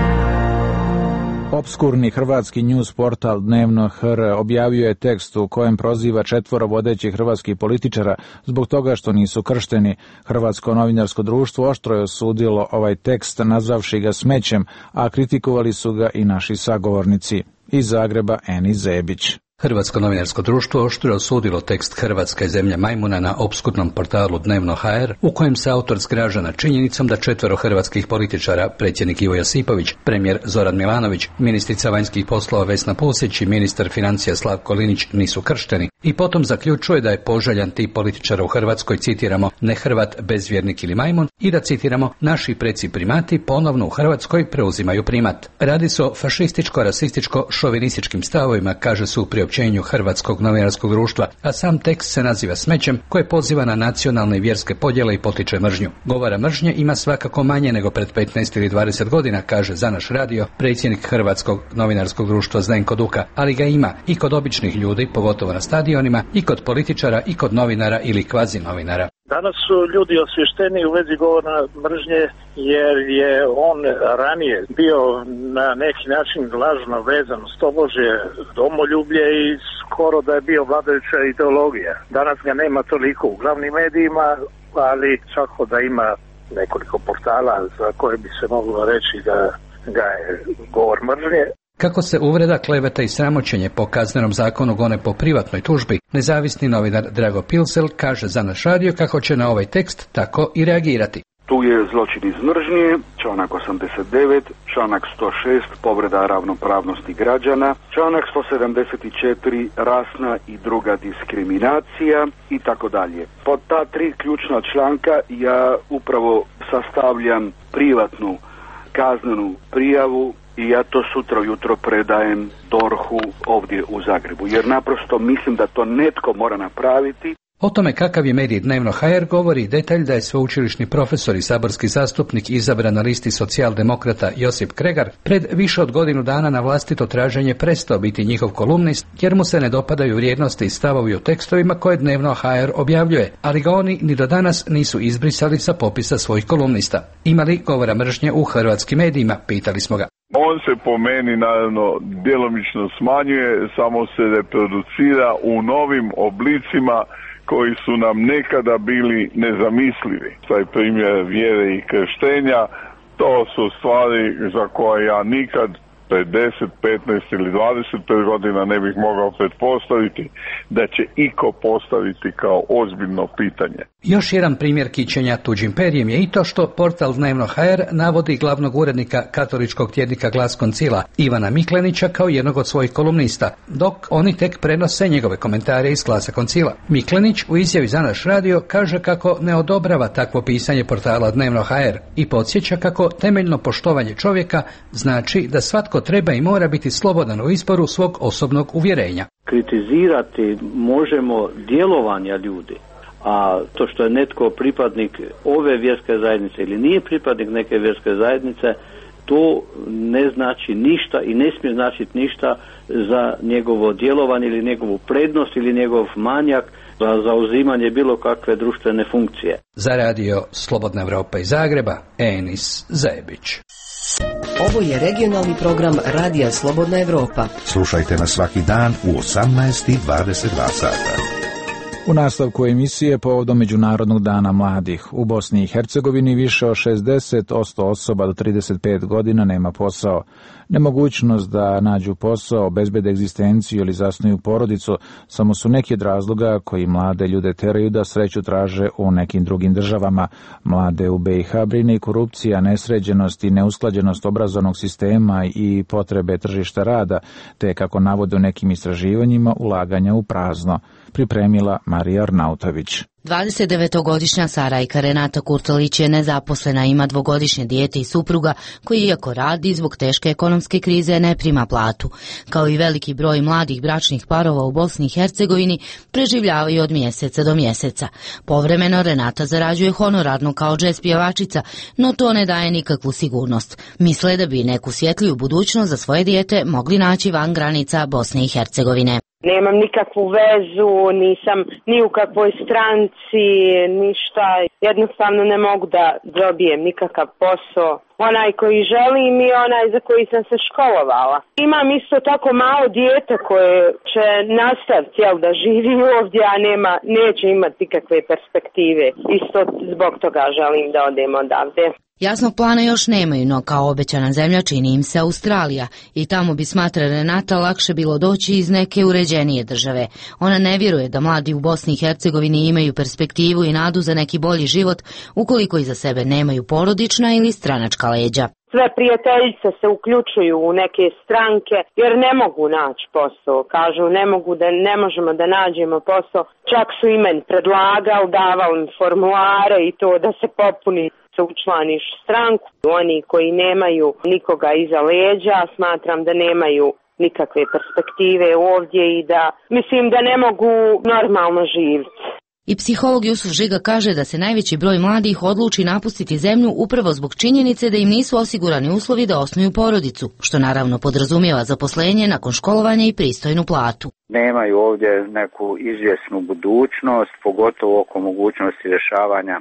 Obskurni hrvatski news portal Dnevno H R objavio je tekst u kojem proziva četvoro vodećih hrvatskih političara zbog toga što nisu kršteni. Hrvatsko novinarsko društvo oštro je osudilo ovaj tekst, nazvavši ga smećem, a kritikovali su ga i naši sagovornici. Iz Zagreba Eni Zebić. Hrvatsko novinarsko društvo oštro osudilo tekst Hrvatska je zemlja majmuna na opskurnom portalu Dnevno H R, u kojem se autor zgraža nad činjenicom da četvoro hrvatskih političara, predsjednik Ivo Josipović, premijer Zoran Milanović, ministrica vanjskih poslova Vesna Pusić i ministar financija Slavko Linić nisu kršteni, i potom zaključuje da je poželjan tip političara u Hrvatskoj, citiramo, ne Hrvat, bezvjernik ili majmun, i da, citiramo, naši preci primati ponovno u Hrvatskoj preuzimaju primat. Radi se o fašističko-rasističko-šovinističkim stavovima, kaže se u priopćenju Hrvatskog novinarskog društva, a sam tekst se naziva smećem, koje poziva na nacionalne i vjerske podjele i potiče mržnju. Govora mržnje ima svakako manje nego pred petnaest ili dvadeset godina, kaže za naš radio predsjednik Hrvatskog novinarskog društva Zdenko Duka, ali ga ima i kod običnih ljudi, pogotovo na stadionima, i kod političara, i kod novinara ili kvazi novinara. Danas su ljudi osvješteni u vezi govora mržnje, jer je on ranije bio na neki način lažno vezan s tobože domoljublje i skoro da je bio vladajuća ideologija. Danas ga nema toliko u glavnim medijima, ali svako da ima nekoliko portala za koje bi se moglo reći da ga je govor mržnje. Kako se uvreda, kleveta i sramoćenje po kaznenom zakonu gone po privatnoj tužbi, nezavisni novinar Drago Pilsel kaže za naš radio kako će na ovaj tekst tako i reagirati. Tu je zločin iz mržnje, članak osamdeset devet, članak sto šest, povreda ravnopravnosti građana, članak sto sedamdeset četiri, rasna i druga diskriminacija i tako dalje. Pod ta tri ključna članka ja upravo sastavljam privatnu kaznenu prijavu i ja to sutra ujutro predajem dorhu ovdje u Zagrebu, jer naprosto mislim da to netko mora napraviti. O tome kakav je medij Dnevno H R govori detalj da je sveučilišni profesor i saborski zastupnik izabran na listi socijaldemokrata Josip Kregar pred više od godinu dana na vlastito traženje prestao biti njihov kolumnist, jer mu se ne dopadaju vrijednosti i stavovi u tekstovima koje Dnevno H R objavljuje, ali ga oni ni do danas nisu izbrisali sa popisa svojih kolumnista. Ima li govora mržnje u hrvatskim medijima, pitali smo ga. On se po meni naravno djelomično smanjuje, samo se reproducira u novim oblicima koji su nam nekada bili nezamislivi. Taj primjer vjere i krštenja, to su stvari za koje ja nikad pred deset, petnaest ili dvadeset pet godina ne bih mogao pretpostaviti da će iko postaviti kao ozbiljno pitanje. Još jedan primjer kićenja tuđim perjem je i to što portal Dnevno ha er navodi glavnog urednika katoličkog tjednika Glas Koncila Ivana Miklenića kao jednog od svojih kolumnista, dok oni tek prenose njegove komentare iz Glasa Koncila. Miklenić u izjavi za naš radio kaže kako ne odobrava takvo pisanje portala Dnevno ha er i podsjeća kako temeljno poštovanje čovjeka znači da svatko treba i mora biti slobodan u izboru svog osobnog uvjerenja. Kritizirati možemo djelovanja ljudi, a to što je netko pripadnik ove vjerske zajednice ili nije pripadnik neke vjerske zajednice, to ne znači ništa i ne smije značiti ništa za njegovo djelovanje ili njegovu prednost ili njegov manjak za zauzimanje bilo kakve društvene funkcije. Za radio Slobodna Evropa iz Zagreba, Enis Zajebić. Ovo je regionalni program Radija Slobodna Evropa. Slušajte nas svaki dan u osamnaest i dvadeset dva sata. U nastavku emisije povodom Međunarodnog dana mladih u Bosni i Hercegovini više od šezdeset posto osoba do trideset pet godina nema posao. Nemogućnost da nađu posao, obezbede egzistenciju ili zasnuju porodicu samo su neki od razloga koji mlade ljude teraju da sreću traže u nekim drugim državama. Mlade u be i ha brine i korupcija, nesređenost i neusklađenost obrazovnog sistema i potrebe tržišta rada, te kako navode u nekim istraživanjima ulaganja u prazno. Pripremila Marija Arnautović. dvadesetdevetogodišnja Sarajka Renata Kurtalić je nezaposlena, ima dvogodišnje dijete i supruga koji iako radi zbog teške ekonomske krize ne prima platu. Kao i veliki broj mladih bračnih parova u Bosni i Hercegovini preživljavaju od mjeseca do mjeseca. Povremeno Renata zarađuje honorarno kao džez pjevačica, no to ne daje nikakvu sigurnost. Misle da bi neku svjetliju budućnost za svoje dijete mogli naći van granica Bosne i Hercegovine. Nemam nikakvu vezu, nisam ni u kakvoj stranci, ništa. Jednostavno ne mogu da dobijem nikakav posao. Onaj koji želim i onaj za koji sam se školovala. Imam isto tako malo dijete koje će nastaviti jel, da živi ovdje, a nema, neće imati nikakve perspektive. Isto zbog toga želim da odem odavde. Jasnog plana još nemaju, no kao obećana zemlja čini im se Australija i tamo bi, smatra Renata, lakše bilo doći iz neke uređenije države. Ona ne vjeruje da mladi u Bosni i Hercegovini imaju perspektivu i nadu za neki bolji život ukoliko iza sebe nemaju porodična ili stranačka leđa. Sve prijateljice se uključuju u neke stranke jer ne mogu naći posao. Kažu ne mogu da ne možemo da nađemo posao. Čak su i meni predlagali, davali im formulare i to da se popuni, se učlaniš stranku. Oni koji nemaju nikoga iza leđa, smatram da nemaju nikakve perspektive ovdje i da mislim da ne mogu normalno živjeti. I psiholog Jusuf Žiga kaže da se najveći broj mladih odluči napustiti zemlju upravo zbog činjenice da im nisu osigurani uslovi da osnuju porodicu, što naravno podrazumijeva zaposlenje nakon školovanja i pristojnu platu. Nemaju ovdje neku izvjesnu budućnost, pogotovo oko mogućnosti rješavanja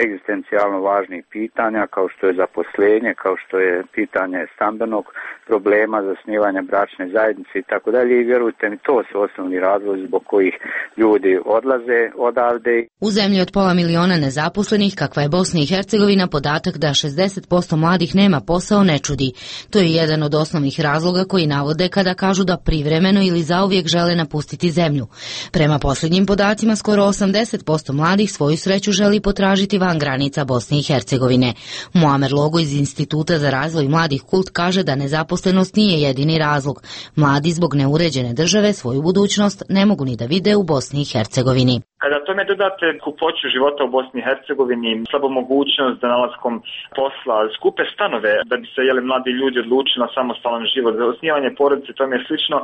egzistencijalno važnih pitanja kao što je zaposlenje, kao što je pitanje stambenog problema, zasnivanja bračne zajednice i tako dalje. I vjerujte mi, to su osnovni razlozi zbog kojih ljudi odlaze odavde. U zemlji od pola miliona nezaposlenih, kakva je Bosna i Hercegovina, podatak da šezdeset posto mladih nema posao ne čudi. To je jedan od osnovnih razloga koji navode kada kažu da privremeno ili zauvijek žele napustiti zemlju. Prema posljednjim podacima, skoro osamdeset posto mladih svoju sreću želi potražiti van granica Bosne i Hercegovine. Muamer Logo iz Instituta za razvoj mladih Kult kaže da nezaposlenost nije jedini razlog. Mladi zbog neuređene države svoju budućnost ne mogu ni da vide u Bosni i Hercegovini. Kada tome dodate kupoću života u Bosni i Hercegovini, slabo mogućnost za nalaskom posla, skupe stanove da bi se jeli, mladi ljudi odlučili na samostalan život, za osnivanje porodice, tome je slično,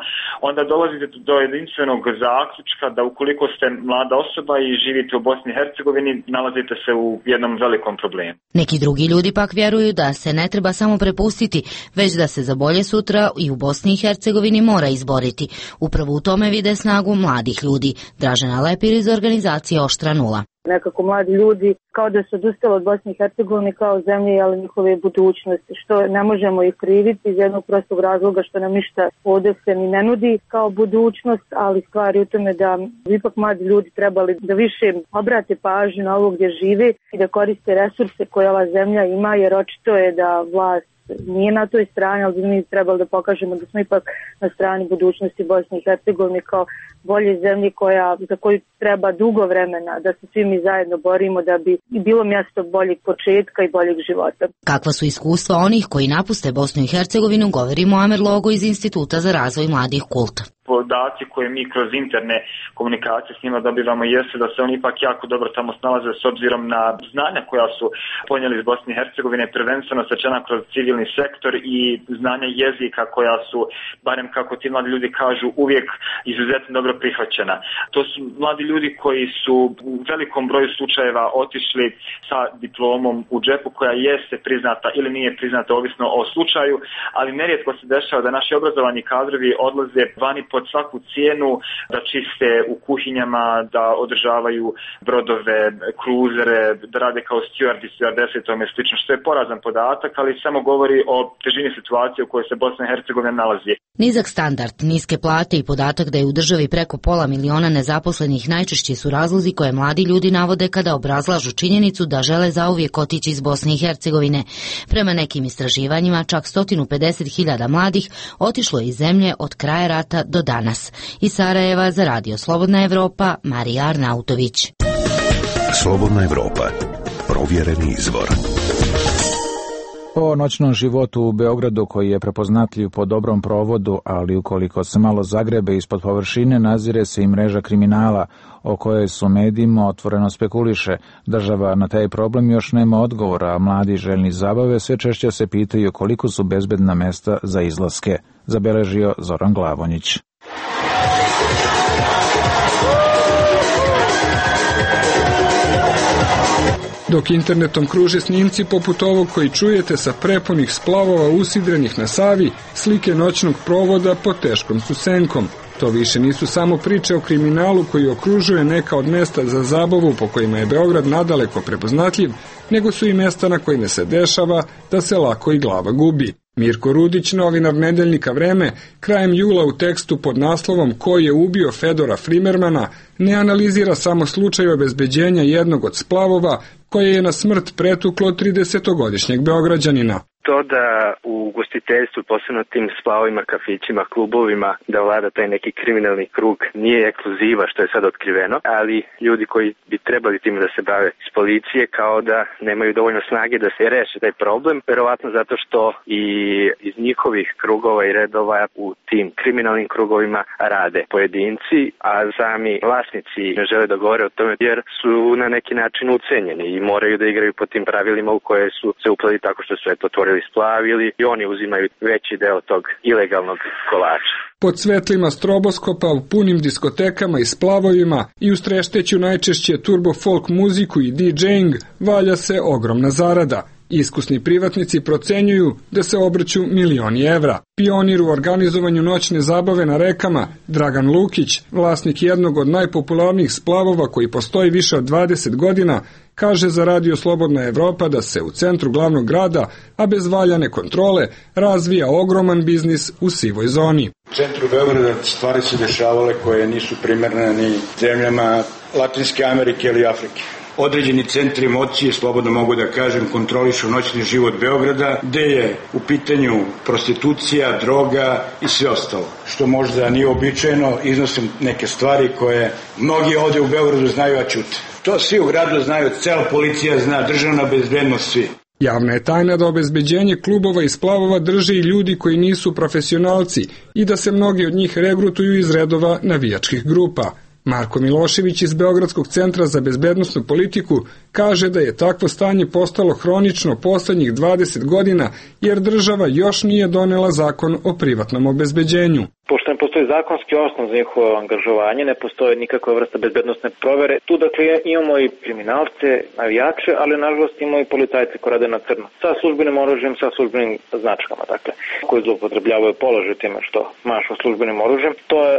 onda dolazite do jedinstvenog zaključka da ukoliko ste mlada osoba i živite u Bosni i Hercegovini, nalazite se u jednom velikom problemu. Neki drugi ljudi pak vjeruju da se ne treba samo prepustiti, već da se za bolje sutra i u Bosni i Hercegovini mora izboriti. Upravo u tome vide snagu mladih ljudi. Dražena Lepir iz organizacije Oštra nula. Nekako mladi ljudi kao da su odustali od Bosne i Hercegovine kao zemlje, ali njihove budućnosti, što ne možemo ih kriviti iz jednog prostog razloga što nam ništa ovdje se ni ne nudi kao budućnost, ali stvari u tome da ipak mladi ljudi trebali da više obrate pažnju na ovo gdje žive i da koriste resurse koje ova zemlja ima, jer očito je da vlast nije na toj strani, ali mi trebali da pokažemo da smo ipak na strani budućnosti Bosne i Hercegovine kao bolje zemlje koja, za koju treba dugo vremena da se svi mi zajedno borimo da bi bilo mjesto boljeg početka i boljeg života. Kakva su iskustva onih koji napuste Bosnu i Hercegovinu, govori Muamer Logo iz Instituta za razvoj mladih Kult. Podaci koje mi kroz interne komunikacije s njima dobivamo jeste da se oni ipak jako dobro tamo snalaze s obzirom na znanja koja su ponijeli iz Bosne i Hercegovine, prvenstveno stečena kroz civilni sektor i znanja jezika koja su, barem kako ti mladi ljudi kažu, uvijek izuzetno dobro prihvaćena. To su mladi ljudi koji su u velikom broju slučajeva otišli sa diplomom u džepu koja jeste priznata ili nije priznata ovisno o slučaju, ali nerijetko se dešava da naši obrazovani kadrovi odlaze vani pod svaku cijenu, da čiste u kuhinjama, da održavaju brodove, kruzere, da rade kao steward i stewardese i tome slično, što je porazan podatak, ali samo govori o težini situacije u kojoj se Bosna i Hercegovina nalazi. Nizak standard, niske plate i podatak da je u državi preko pola miliona nezaposlenih najčešći su razlozi koje mladi ljudi navode kada obrazlažu činjenicu da žele zauvijek otići iz Bosne i Hercegovine. Prema nekim istraživanjima, čak sto pedeset hiljada mladih otišlo je iz zemlje od kraja rata do danas. Iz Sarajeva za Radio Slobodna Evropa, Marija Arnautović. Slobodna Evropa, provjereni izvor. O noćnom životu u Beogradu, koji je prepoznatljiv po dobrom provodu, ali ukoliko se malo zagrebe ispod površine, nazire se i mreža kriminala, o kojoj su medijima otvoreno spekuliše. Država na taj problem još nema odgovora, a mladi željni zabave sve češće se pitaju koliko su bezbedna mesta za izlaske, zabeležio Zoran Glavonjić. Dok internetom kruže snimci poput ovog koji čujete sa prepunih splavova usidrenih na Savi, slike noćnog provoda pod teškom su senkom. To više nisu samo priče o kriminalu koji okružuje neka od mesta za zabavu po kojima je Beograd nadaleko prepoznatljiv, nego su i mesta na kojima se dešava da se lako i glava gubi. Mirko Rudić, novinar nedeljnika Vreme, krajem jula u tekstu pod naslovom Ko je ubio Fedora Frimermana, ne analizira samo slučaj obezbeđenja jednog od splavova koje je na smrt pretuklo tridesetogodišnjeg Beograđanina. To da u ugostiteljstvu, posebno tim splavovima, kafićima, klubovima, da vlada taj neki kriminalni krug nije ekskluziva, što je sad otkriveno, ali ljudi koji bi trebali tim da se bave s policije kao da nemaju dovoljno snage da se reše taj problem, verovatno zato što i iz njihovih krugova i redova u tim kriminalnim krugovima rade pojedinci, a sami vlasnici ne žele da govore o tome jer su na neki način ucenjeni i moraju da igraju po tim pravilima u koje su se upleli tako što su eto otvorili splavili i oni uzimaju veći deo tog ilegalnog kolača. Pod svetlima stroboskopa, u punim diskotekama i splavovima i uz trešteću najčešće turbo folk muziku i DJing valja se ogromna zarada. Iskusni privatnici procenjuju da se obrću milioni evra. Pionir u organizovanju noćne zabave na rekama, Dragan Lukić, vlasnik jednog od najpopularnijih splavova koji postoji više od dvadeset godina, kaže za Radio Slobodna Evropa da se u centru glavnog grada, a bez valjane kontrole, razvija ogroman biznis u sivoj zoni. U centru Beograda stvari se dešavale koje nisu primerne ni zemljama Latinske Amerike ili Afrike. Određeni centri moći, slobodno mogu da kažem, kontrolišu noćni život Beograda, gde je u pitanju prostitucija, droga i sve ostalo. Što možda nije običajno, iznosim neke stvari koje mnogi ovdje u Beogradu znaju, a ćute. To svi u gradu znaju, cela policija zna, državna bezbednost, svi. Javna je tajna da obezbeđenje klubova i splavova drže i ljudi koji nisu profesionalci i da se mnogi od njih regrutuju iz redova navijačkih grupa. Marko Milošević iz Beogradskog centra za bezbednosnu politiku kaže da je takvo stanje postalo hronično poslednjih dvadeset godina jer država još nije donela zakon o privatnom obezbeđenju. Pošto ne postoji zakonski osnov za njihovo angažovanje, ne postoje nikakva vrsta bezbednostne provere. Tu dakle imamo i kriminalce, navijače, ali nažalost imamo i policajce koji rade na crno. Sa službenim oružjem, sa službenim značkama, dakle, koji zloupotrebljavaju položaj time što mašu službenim oružjem. To je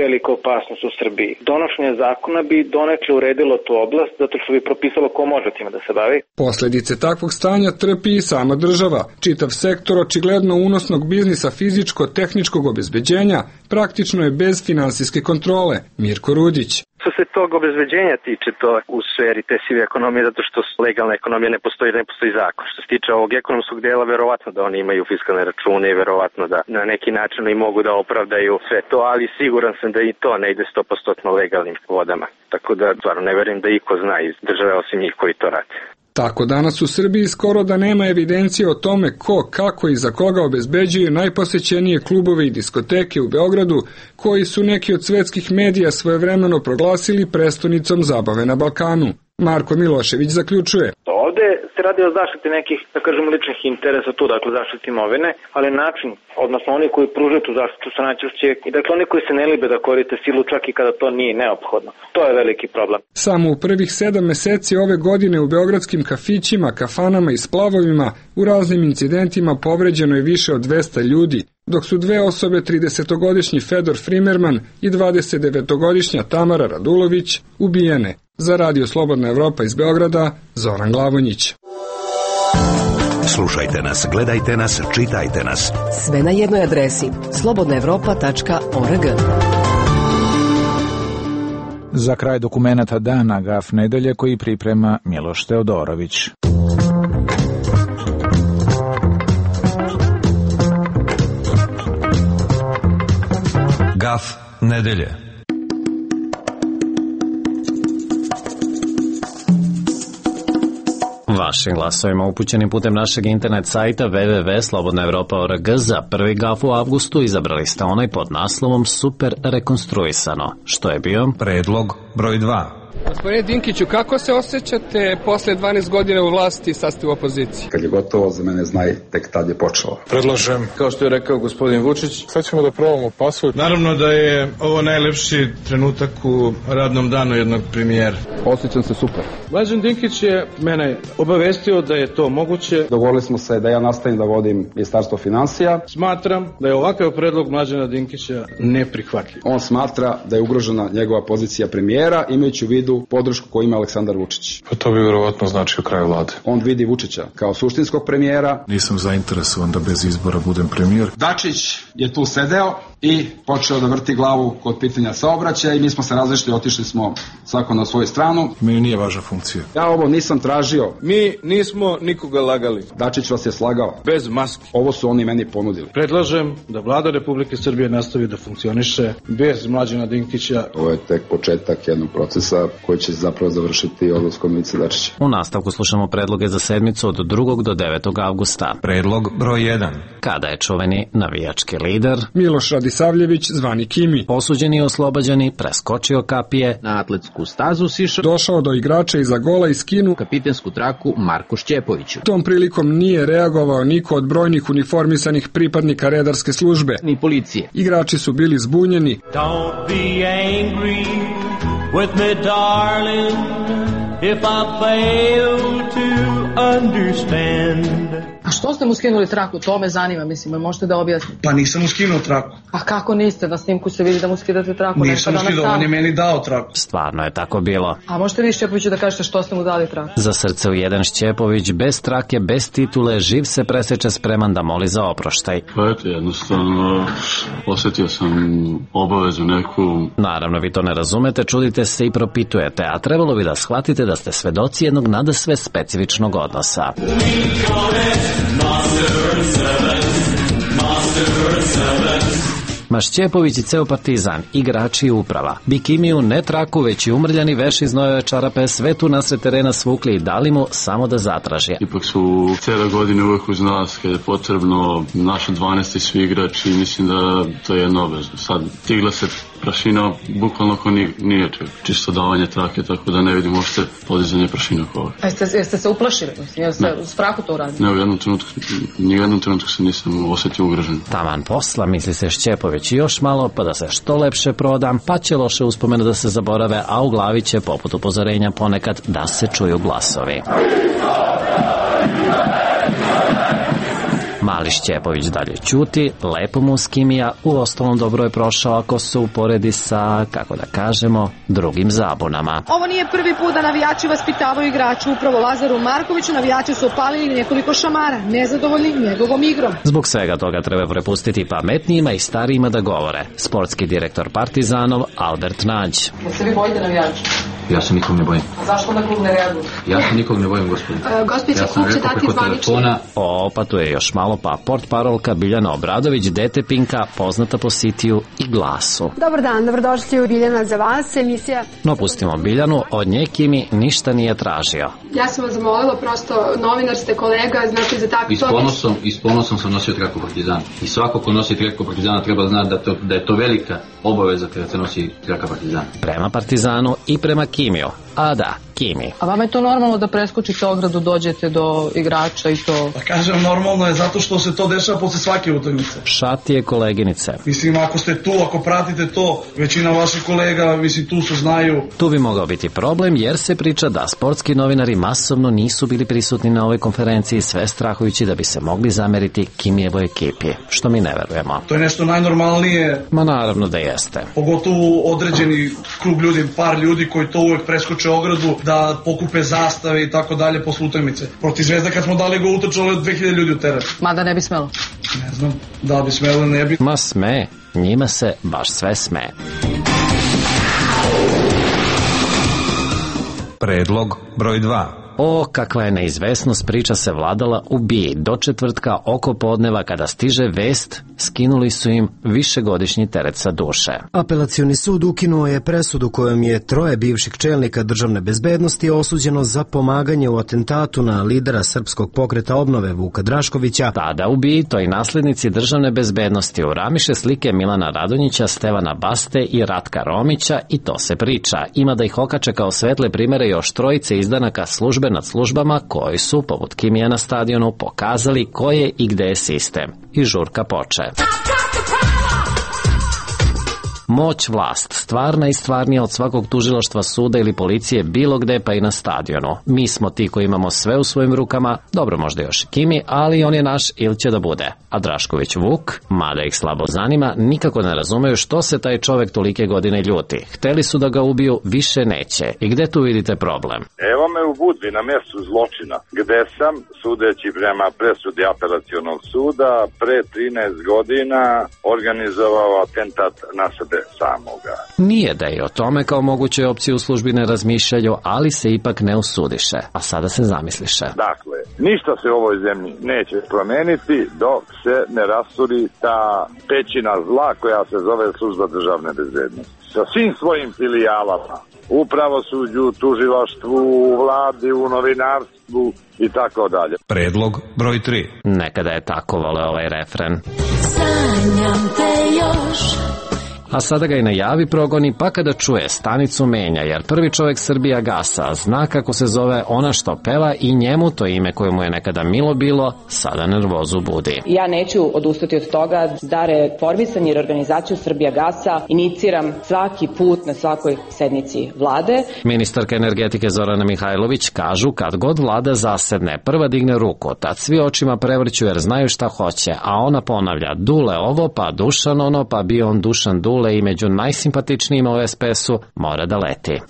velika opasnost u Srbiji. Donošenje zakona bi donekle uredilo tu oblast, zato što bi propisalo ko može time da se bavi. Posledice takvog stanja trpi i sama država. Čitav sektor očigledno unosnog biznisa fizičko-tehničkog obezbeđenja praktično je bez finansijske kontrole. Mirko Rudić. Što se tog obezbeđenja tiče, to u sferi te sive ekonomije, zato što legalna ekonomija ne postoji, ne postoji zakon. Što se tiče ovog ekonomskog dela, verovatno da oni imaju fiskalne račune i verovatno da na neki način i mogu da opravdaju sve to, ali siguran sam da i to ne ide sto posto legalnim vodama. Tako da stvarno ne verujem da iko zna iz države osim njih koji to rade. Tako danas u Srbiji skoro da nema evidencije o tome ko, kako i za koga obezbeđuje najposećenije klubove i diskoteke u Beogradu, koji su neki od svetskih medija svojevremeno proglasili prestonicom zabave na Balkanu. Marko Milošević zaključuje. Ovde se radi o zaštiti nekih, da kažemo, ličnih interesa tu, dakle zaštiti imovine, ali način, odnosno oni koji pružaju tu zaštitu su najčešće, i dakle oni koji se ne libe da koriste silu čak i kada to nije neophodno. To je veliki problem. Samo u prvih sedam meseci ove godine u beogradskim kafićima, kafanama i splavovima u raznim incidentima povređeno je više od dvesta ljudi, dok su dve osobe, tridesetogodišnji Fedor Frimerman i dvadesetdevetogodišnja Tamara Radulović, ubijene. Za Radio Slobodna Evropa iz Beograda, Zoran Glavonjić. Slušajte nas, gledajte nas, čitajte nas. Sve na jednoj adresi slobodna evropa tačka org. Za kraj dokumenata dana Gaf nedelje koji priprema Miloš Teodorović. Gaf nedelje. Vašim glasovima upućenim putem našeg internet sajta w w w tačka slobodna evropa tačka org za prvi gaf u avgustu izabrali ste onaj pod naslovom Super rekonstruisano, što je bio predlog broj dva. Gospodine Dinkiću, kako se osjećate posle dvanaest godina u vlasti i sastavu opozicije? Kad je gotovo, za mene znaj, tek tad je počelo. Predlažem, kao što je rekao gospodin Vučić, sad ćemo da probamo pasvord. Naravno da je ovo najlepši trenutak u radnom danu jednog premijera. Osjećam se super. Mlađan Dinkić je mene obavestio da je to moguće. Dogovorili smo se da ja nastavim da vodim Ministarstvo finansija. Smatram da je ovakav predlog Mlađana Dinkića neprihvatljiv. On smatra da je ugrožena njegova pozicija premijera, imajući u vidu podršku koju ima Aleksandar Vučić. Pa to bi verovatno značio kraj vlade. On vidi Vučića kao suštinskog premijera. Nisam zainteresovan da bez izbora budem premijer. Dačić je tu sedeo i počeo da vrti glavu kod pitanja saobraćaja i mi smo se različili, otišli smo svako na svoju stranu. Meni nije važna funkcija. Ja ovo nisam tražio. Mi nismo nikoga lagali. Dačić vas je slagao. Bez maski. Ovo su oni meni ponudili. Predlažem da vlada Republike Srbije nastavi da funkcioniše bez Mlađana Dinkića. Ovo je tek početak jednog procesa koji će zapravo završiti odlaskom Ivice Dačića. U nastavku slušamo predloge za sedmicu od drugog do devetog avgusta. Predlog broj jedan. Kada je čuveni navijački lider Miloš Radisavljević, zvani Kimi, osuđeni i oslobađani, preskočio kapije, na atletsku stazu sišao, došao do igrača iza gola i skinu kapitensku traku Marku Šćepoviću. Tom prilikom nije reagovao niko od brojnih uniformisanih pripadnika redarske službe ni policije. Igrači su bili zbunjeni. Don't be angry with me, darling, if I fail to understand. A što ste mu skinuli traku? To me zanima, mislim, možete da objasnite. Pa nisam mu skinuo traku. A kako niste? Na snimku se vidi da mu skidate traku. Nisam mu skinuo, on je meni dao traku. Stvarno je tako bilo. A možete vi Šćepoviću da kažete što ste mu dali traku? Za srce u jedan Šćepović, bez trake, bez titule, živ se preseče, spreman da moli za oproštaj. Pa eto, jednostavno, osjetio sam obavezu neku. Naravno, vi to ne razumete, čudite se i propitujete, a trebalo bi da shvatite da ste svedoci jednog nadasve specifičnog odnosa. Ma Šćepović i ceo Partizan, igrači i uprava. Bikimiju ne traku, već i umrljani veš iz nove čarape sve tu nasred terena svukli i dali mu samo da zatraži. Ipak su cijele godine uvek uz nas, kada je potrebno naša dvanaesti svi igrači, mislim da to je jedno obavezno. Sad stigla se prašina bukvalno ko nije čeg. Čisto davanje trake, tako da ne vidim uopšte podizanje prašina ko ovo. A jeste, jeste se uplašili? Jeste u strahu to uradili? Ne, u jednom trenutku, ni u jednom trenutku se nisam osjetio ugrožen. Taman posla, misli se Šćepović, i još malo pa da se što lepše prodam, pa će loše uspomene da se zaborave, a u glavi će poput upozorenja ponekad da se čuju glasovi. Mali Šćepović dalje ćuti, lepo mu s Kimija, u ostalom dobro je prošao ako se uporedi sa, kako da kažemo, drugim zabunama. Ovo nije prvi put da navijači vaspitavaju igraču. Upravo Lazaru Markoviću navijači su opalili nekoliko šamara, nezadovoljni njegovom igrom. Zbog svega toga treba prepustiti pametnijima i starijima da govore. Sportski direktor Partizanov Albert Nađ. Jel se vi bojite navijača? Ja se nikog ne bojim. A zašto onda klub ne reaguje? Ja se nikog ne bojim, gospodin. E, Gospodin, ja klub će dati zvanični. O, pa tu je još malo, pa portparolka Biljana Obradović, dete Pinka, poznata po Sitiju i Glasu. Dobar dan, dobrodošli u Biljana za vas, emisija. No, pustimo Biljanu, od nje Kimi ništa nije tražio. Ja sam vas zamolila, prosto novinar ste, kolega, znate za tako... I s ponosom, i s ponosom sam nosio traku Partizana. I svako ko nosi traku Partizana treba znati da, to, da je to velika obaveza kada se nosi traka Partizana. Prema Partizanu i prema Kimiju. A da, Kimi. A vama je to normalno da preskočite ogradu, dođete do igrača i to? Pa kažem, normalno je zato što se to dešava posle svake utakmice. Šatije koleginice. Mislim, ako ste tu, ako pratite to, većina vaših kolega, mislim, tu su znaju. Tu bi mogao biti problem jer se priča da sportski novinari masovno nisu bili prisutni na ovoj konferenciji, sve strahujući da bi se mogli zameriti Kimijevoj ekipi, što mi ne verujemo. To je nešto najnormalnije. Ma naravno da jeste. Pogotovo određeni krug ljudi, par ljudi koji to uvek preskoče ogradu, da pokupe zastave i tako dalje posle utakmice. Protiv Zvezda kad smo dali go utrčalo je dve hiljade ljudi u teren. Mada ne bi smelo. Ne znam, da bi smelo, ne bi. Ma sme, njima se baš sve sme. Predlog broj dva. O, kakva je neizvesnost, priča se vladala u B I A. Do četvrtka oko podneva kada stiže vest, skinuli su im višegodišnji teret sa duše. Apelacioni sud ukinuo je presudu kojom je troje bivših čelnika državne bezbednosti osuđeno za pomaganje u atentatu na lidera Srpskog pokreta obnove Vuka Draškovića. Tada u B I A toj naslednici državne bezbednosti uramiše slike Milana Radonjića, Stevana Baste i Ratka Romića i to se priča. Ima da ih okače kao svetle primere još trojice izdanaka službe nad službama koji su, poput Kimija na stadionu, pokazali ko je i gde je sistem. I žurka poče. Moć, vlast, stvarna i stvarnija od svakog tužilaštva, suda ili policije bilo gde, pa i na stadionu. Mi smo ti koji imamo sve u svojim rukama, dobro možda još i Kimi, ali on je naš ili će da bude. A Drašković Vuk, mada ih slabo zanima, nikako ne razumeju što se taj čovek tolike godine ljuti. Hteli su da ga ubiju, više neće. I gde tu vidite problem? Evo me u Budvi na mjestu zločina, gde sam, sudeći prema presudi apelacionog suda, pre trinaest godina organizovao atentat na sebe samoga. Nije da i o tome kao mogućoj opciji u službi ne razmišljaju, ali se ipak ne usudiše. A sada se zamisliše. Dakle, ništa se u ovoj zemlji neće promeniti dok se ne rasturi ta pećina zla koja se zove služba državne bezbednosti. Sa svim svojim filijalama, u pravosuđu, tužilaštvu, u vladi, u novinarstvu i tako dalje. Predlog broj tri. Nekada je tako vole ovaj refren. Sanjam te još. A sada ga i najavi progoni, pa kada čuje stanicu menja, jer prvi čovjek Srbija Gasa zna kako se zove ona što peva i njemu to ime koje mu je nekada milo bilo, sada nervozu budi. Ja neću odustati od toga da reformisanje i reorganizaciju Srbija Gasa iniciram svaki put na svakoj sednici vlade. Ministarka energetike Zorana Mihajlović kažu kad god vlada zasedne, prva digne ruku, tad svi očima prevrću jer znaju šta hoće, a ona ponavlja Dule ovo, pa Dušan ono, pa bio on Dušan Dule i među najsimpatičnijima u es pe esu mora da leti.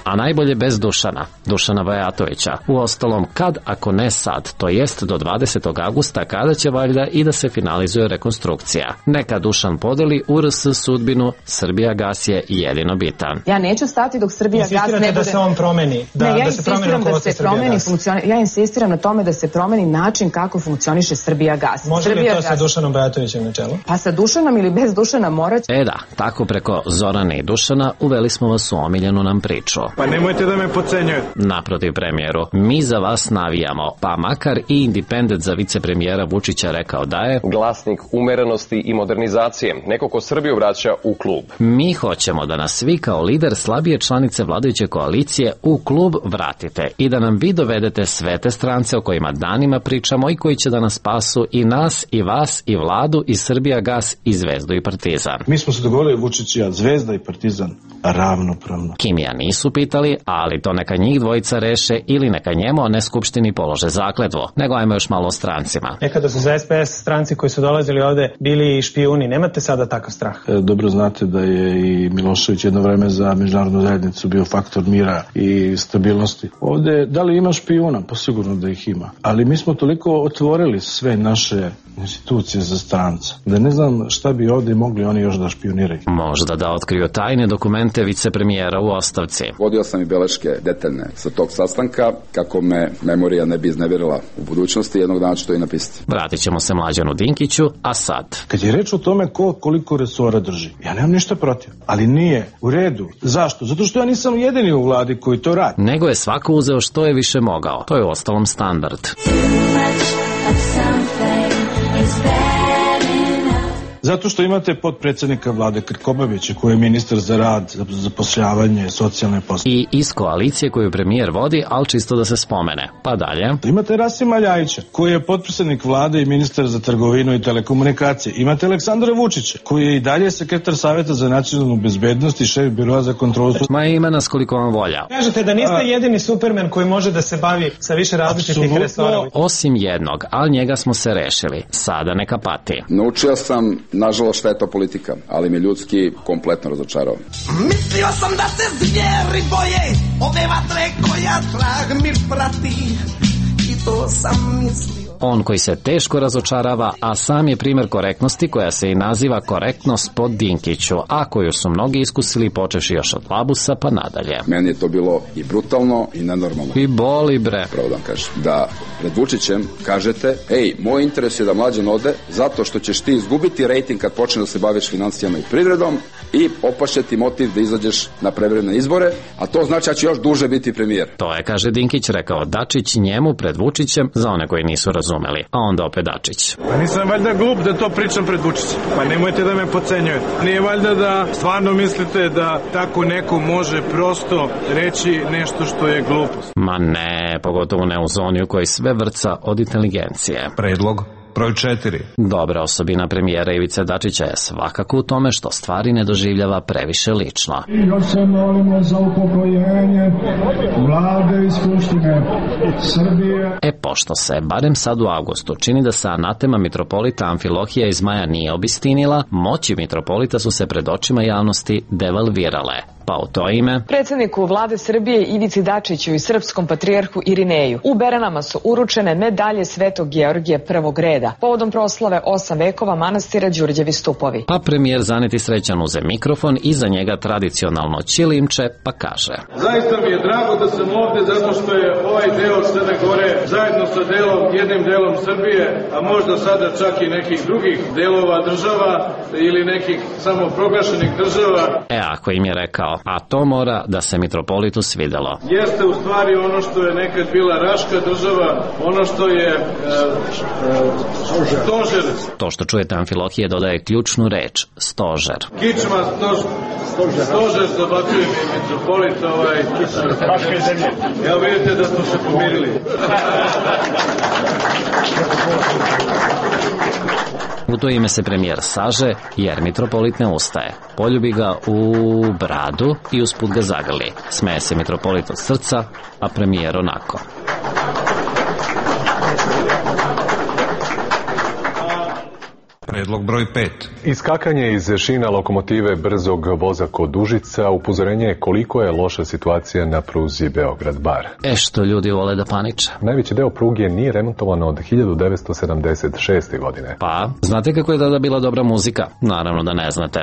A najbolje bez Dušana, Dušana Bajatovića. U ostalom, kad, ako ne sad, to jest do dvadesetog avgusta, kada će valjda i da se finalizuje rekonstrukcija. Neka Dušan podeli u er es sudbinu, Srbija Gas je jedino bitan. Ja neću stati dok Srbija Gas ne bude... da se on promeni, da, ne, ja da se promeni da se promeni funkcioni... Ja insistiram na tome da se promeni način kako funkcioniše Srbija Gas. Može Srbija li to sa Dušanom Bajatovićem na čelu? Pa sa Dušanom ili bez Dušana morat... E da, tako preko Zorane i Dušana uveli smo vas u omiljenu nam priču. Pa nemojte da me podcenjujete. Naprotiv premijeru, mi za vas navijamo, pa makar i Independent za vicepremijera Vučića rekao da je glasnik umerenosti i modernizacije, neko ko Srbiju vraća u klub. Mi hoćemo da nas vi kao lider slabije članice vladajuće koalicije u klub vratite i da nam vi dovedete sve te strance o kojima danima pričamo i koji će da nas spasu i nas i vas i vladu i Srbija Gas i Zvezdu i Partizan. Mi smo se dogovorili Vučić i ja, Zvezda i Partizan ravnopravno. Kimija nisu pitali pitali, ali to neka njih dvojica reše ili neka njemu, a ne skupštini polože zakletvo. Nego ajmo još malo o strancima. Nekada su za S P S stranci koji su dolazili ovde bili špijuni. Nemate sada takav strah? E, dobro znate da je i Milošević jedno vreme za međunarodnu zajednicu bio faktor mira i stabilnosti. Ovde, da li ima špijuna? Pa sigurno da ih ima. Ali mi smo toliko otvorili sve naše institucije za stranca, da ne znam šta bi ovde mogli oni još da špioniraju. Možda da otkriju tajne dokumente vicepremijera u ostavci. Vodio sam i beleške detaljne sa tog sastanka, kako me memorija ne bi iznevjerila u budućnosti, jednog dana ću to i napisati. Vratit ćemo se Mlađanu Dinkiću, a sad? Kad je reč o tome ko koliko resora drži, ja nemam ništa protiv, ali nije u redu. Zašto? Zato što ja nisam jedini u vladi koji to radi. Nego je svako uzeo što je više mogao. To je uostalom standard. Zato što imate potpredsjednika vlade Krkobabića koji je ministar za rad, za zapošljavanje, socijalne poslove. I iz koalicije koju premijer vodi, ali čisto da se spomene. Pa dalje. Imate Rasima Ljajića koji je potpredsjednik vlade i ministar za trgovinu i telekomunikacije. Imate Aleksandra Vučića koji je i dalje sekretar Saveta za nacionalnu bezbednost i šef biroa za kontrolu. Ma ima nas koliko vam volja. Kažete da niste A... jedini Superman koji može da se bavi sa više različitih resora. Osim jednog, ali njega smo se rešili. Sada neka pati. Naučio sam, nažalost, šta je to politika, ali mi ljudski kompletno razočarao. Mislio sam da se zvijeri boje ove vatre koja trag mi prati i to sam mislio. On koji se teško razočarava, a sam je primjer korektnosti koja se i naziva korektnost po Dinkiću, a koju su mnogi iskusili počevši još od Labusa pa nadalje. Meni je to bilo i brutalno i nenormalno. I boli bre. Pravo da vam kažem. Da pred Vučićem kažete, ej, moj interes je da Mlađan ode zato što ćeš ti izgubiti rejting kad počne da se baviš financijama i privredom i opašće ti motiv da izađeš na prevremene izbore, a to znači da će još duže biti premijer. To je, kaže Dinkić, rekao Dačić njemu pred Vučićem, za one koji nisu razumeli, a onda opet Dačić. Pa nisam valjda glup da to pričam pred Vučićem. Pa nemojte da me podcenjujete. Nije valjda da stvarno mislite da tako neko može prosto reći nešto što je glupost. Ma ne, pogotovo ne u zoni u kojoj sve vrca od inteligencije. Predlog broj četiri. Dobra osobina premijera Ivice Dačića je svakako u tome što stvari ne doživljava previše lično. I još se molimo za upokojenje vlade i skupštine Srbije. E, pošto se, barem sad u avgustu, čini da se anatema mitropolita Amfilohija iz Maja nije obistinila, moći mitropolita su se pred očima javnosti devalvirale. Pa u to ime predsjedniku vlade Srbije Ivici Dačiću i srpskom patrijarhu Irineju u Beranama su uručene medalje Svetog Georgija prvog reda povodom proslave osam vekova manastira Đurđevi stupovi. Pa premijer zaneti srećan uze mikrofon i za njega tradicionalno ćilimče pa kaže: Zaista mi je drago da sam ovde zato što je ovaj deo Crne Gore zajedno sa delom, jednim delom Srbije, a možda sada čak i nekih drugih delova država ili nekih samoproglašenih država. E, ako im je rekao, a to mora da se mitropolitu svidelo. Jeste u stvari ono što je nekad bila Raška država, ono što je e, e, stožer. To što čujete Amfilohije dodaje ključnu reč, stožer. Kičma, stož, stožer, stožer dobacuje mi mitropolit, ovaj, Raške zemlje. Ja vidite da smo se pomirili. U to ime se premijer saže, jer mitropolit ne ustaje. Poljubi ga u bradu i usput ga zagrli. Smeje se mitropolit od srca, a premijer onako. Predlog broj pet. Iskakanje iz šina lokomotive brzog voza kod Užica upozorenje je koliko je loša situacija na pruzi Beograd-Bar. E što ljudi vole da paniče. Najveći deo pruge nije remontovan od hiljadu devetsto sedamdeset šeste. godine. Pa, znate kako je tada bila dobra muzika? Naravno da ne znate.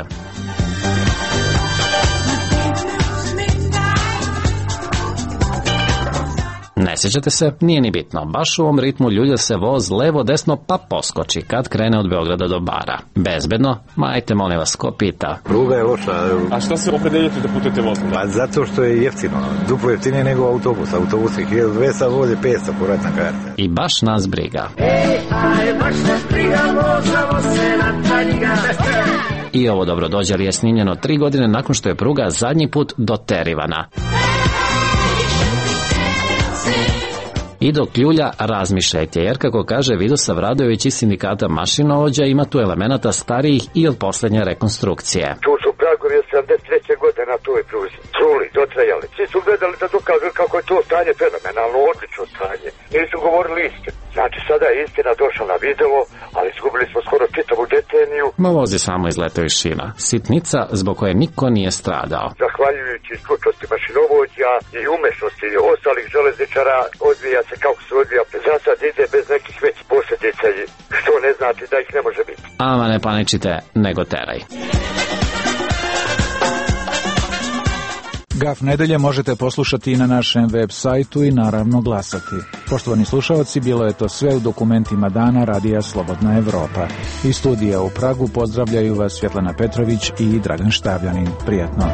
Ne sjećate se? Nije ni bitno. Baš u ovom ritmu ljulja se voz levo-desno pa poskoči kad krene od Beograda do Bara. Bezbedno? Majte, molim vas, ko pita? Pruga je loša. A šta se opredeljete da putujete vozom? Pa zato što je jeftino. Duplo jeftinije nego autobus. Autobus je hiljadu dvesta, voz je petsto povratna karta. I baš nas briga. Ej, aj, baš nas briga, možemo se na tanjiga. I ovo dobrodođer je snimljeno tri godine nakon što je pruga zadnji put doterivana. I dok ljulja, razmišljajte, jer kako kaže Vidosav Radojević iz sindikata mašinovođa, ima tu elemenata starijih i od posljednje rekonstrukcije. Tu su pragovi od sedamdeset treće godine na toj pruzi. Čuli, dotrajali. Svi su gledali da dokažu kako je to stanje fenomenalno, odlično stanje. Nisu govorili istinu. Znači sada je istina došla na video, ali izgubili smo skoro čitavu deceniju. Voz je samo izletao iz šina. Sitnica zbog koje niko nije stradao. Zahvaljujući stručnosti mašinovođa i umešnosti ostalih železničara odvija se kako se odvija. Za sad ide bez nekih većih posljedica, što ne znači da ih ne može biti. Ama ne paničite, nego teraj. Gaf nedelje možete poslušati i na našem web sajtu i naravno glasati. Poštovani slušalci, bilo je to sve u dokumentima dana Radija Slobodna Evropa. Iz studija u Pragu pozdravljaju vas Svjetlana Petrović i Dragan Štavljanin. Prijatno.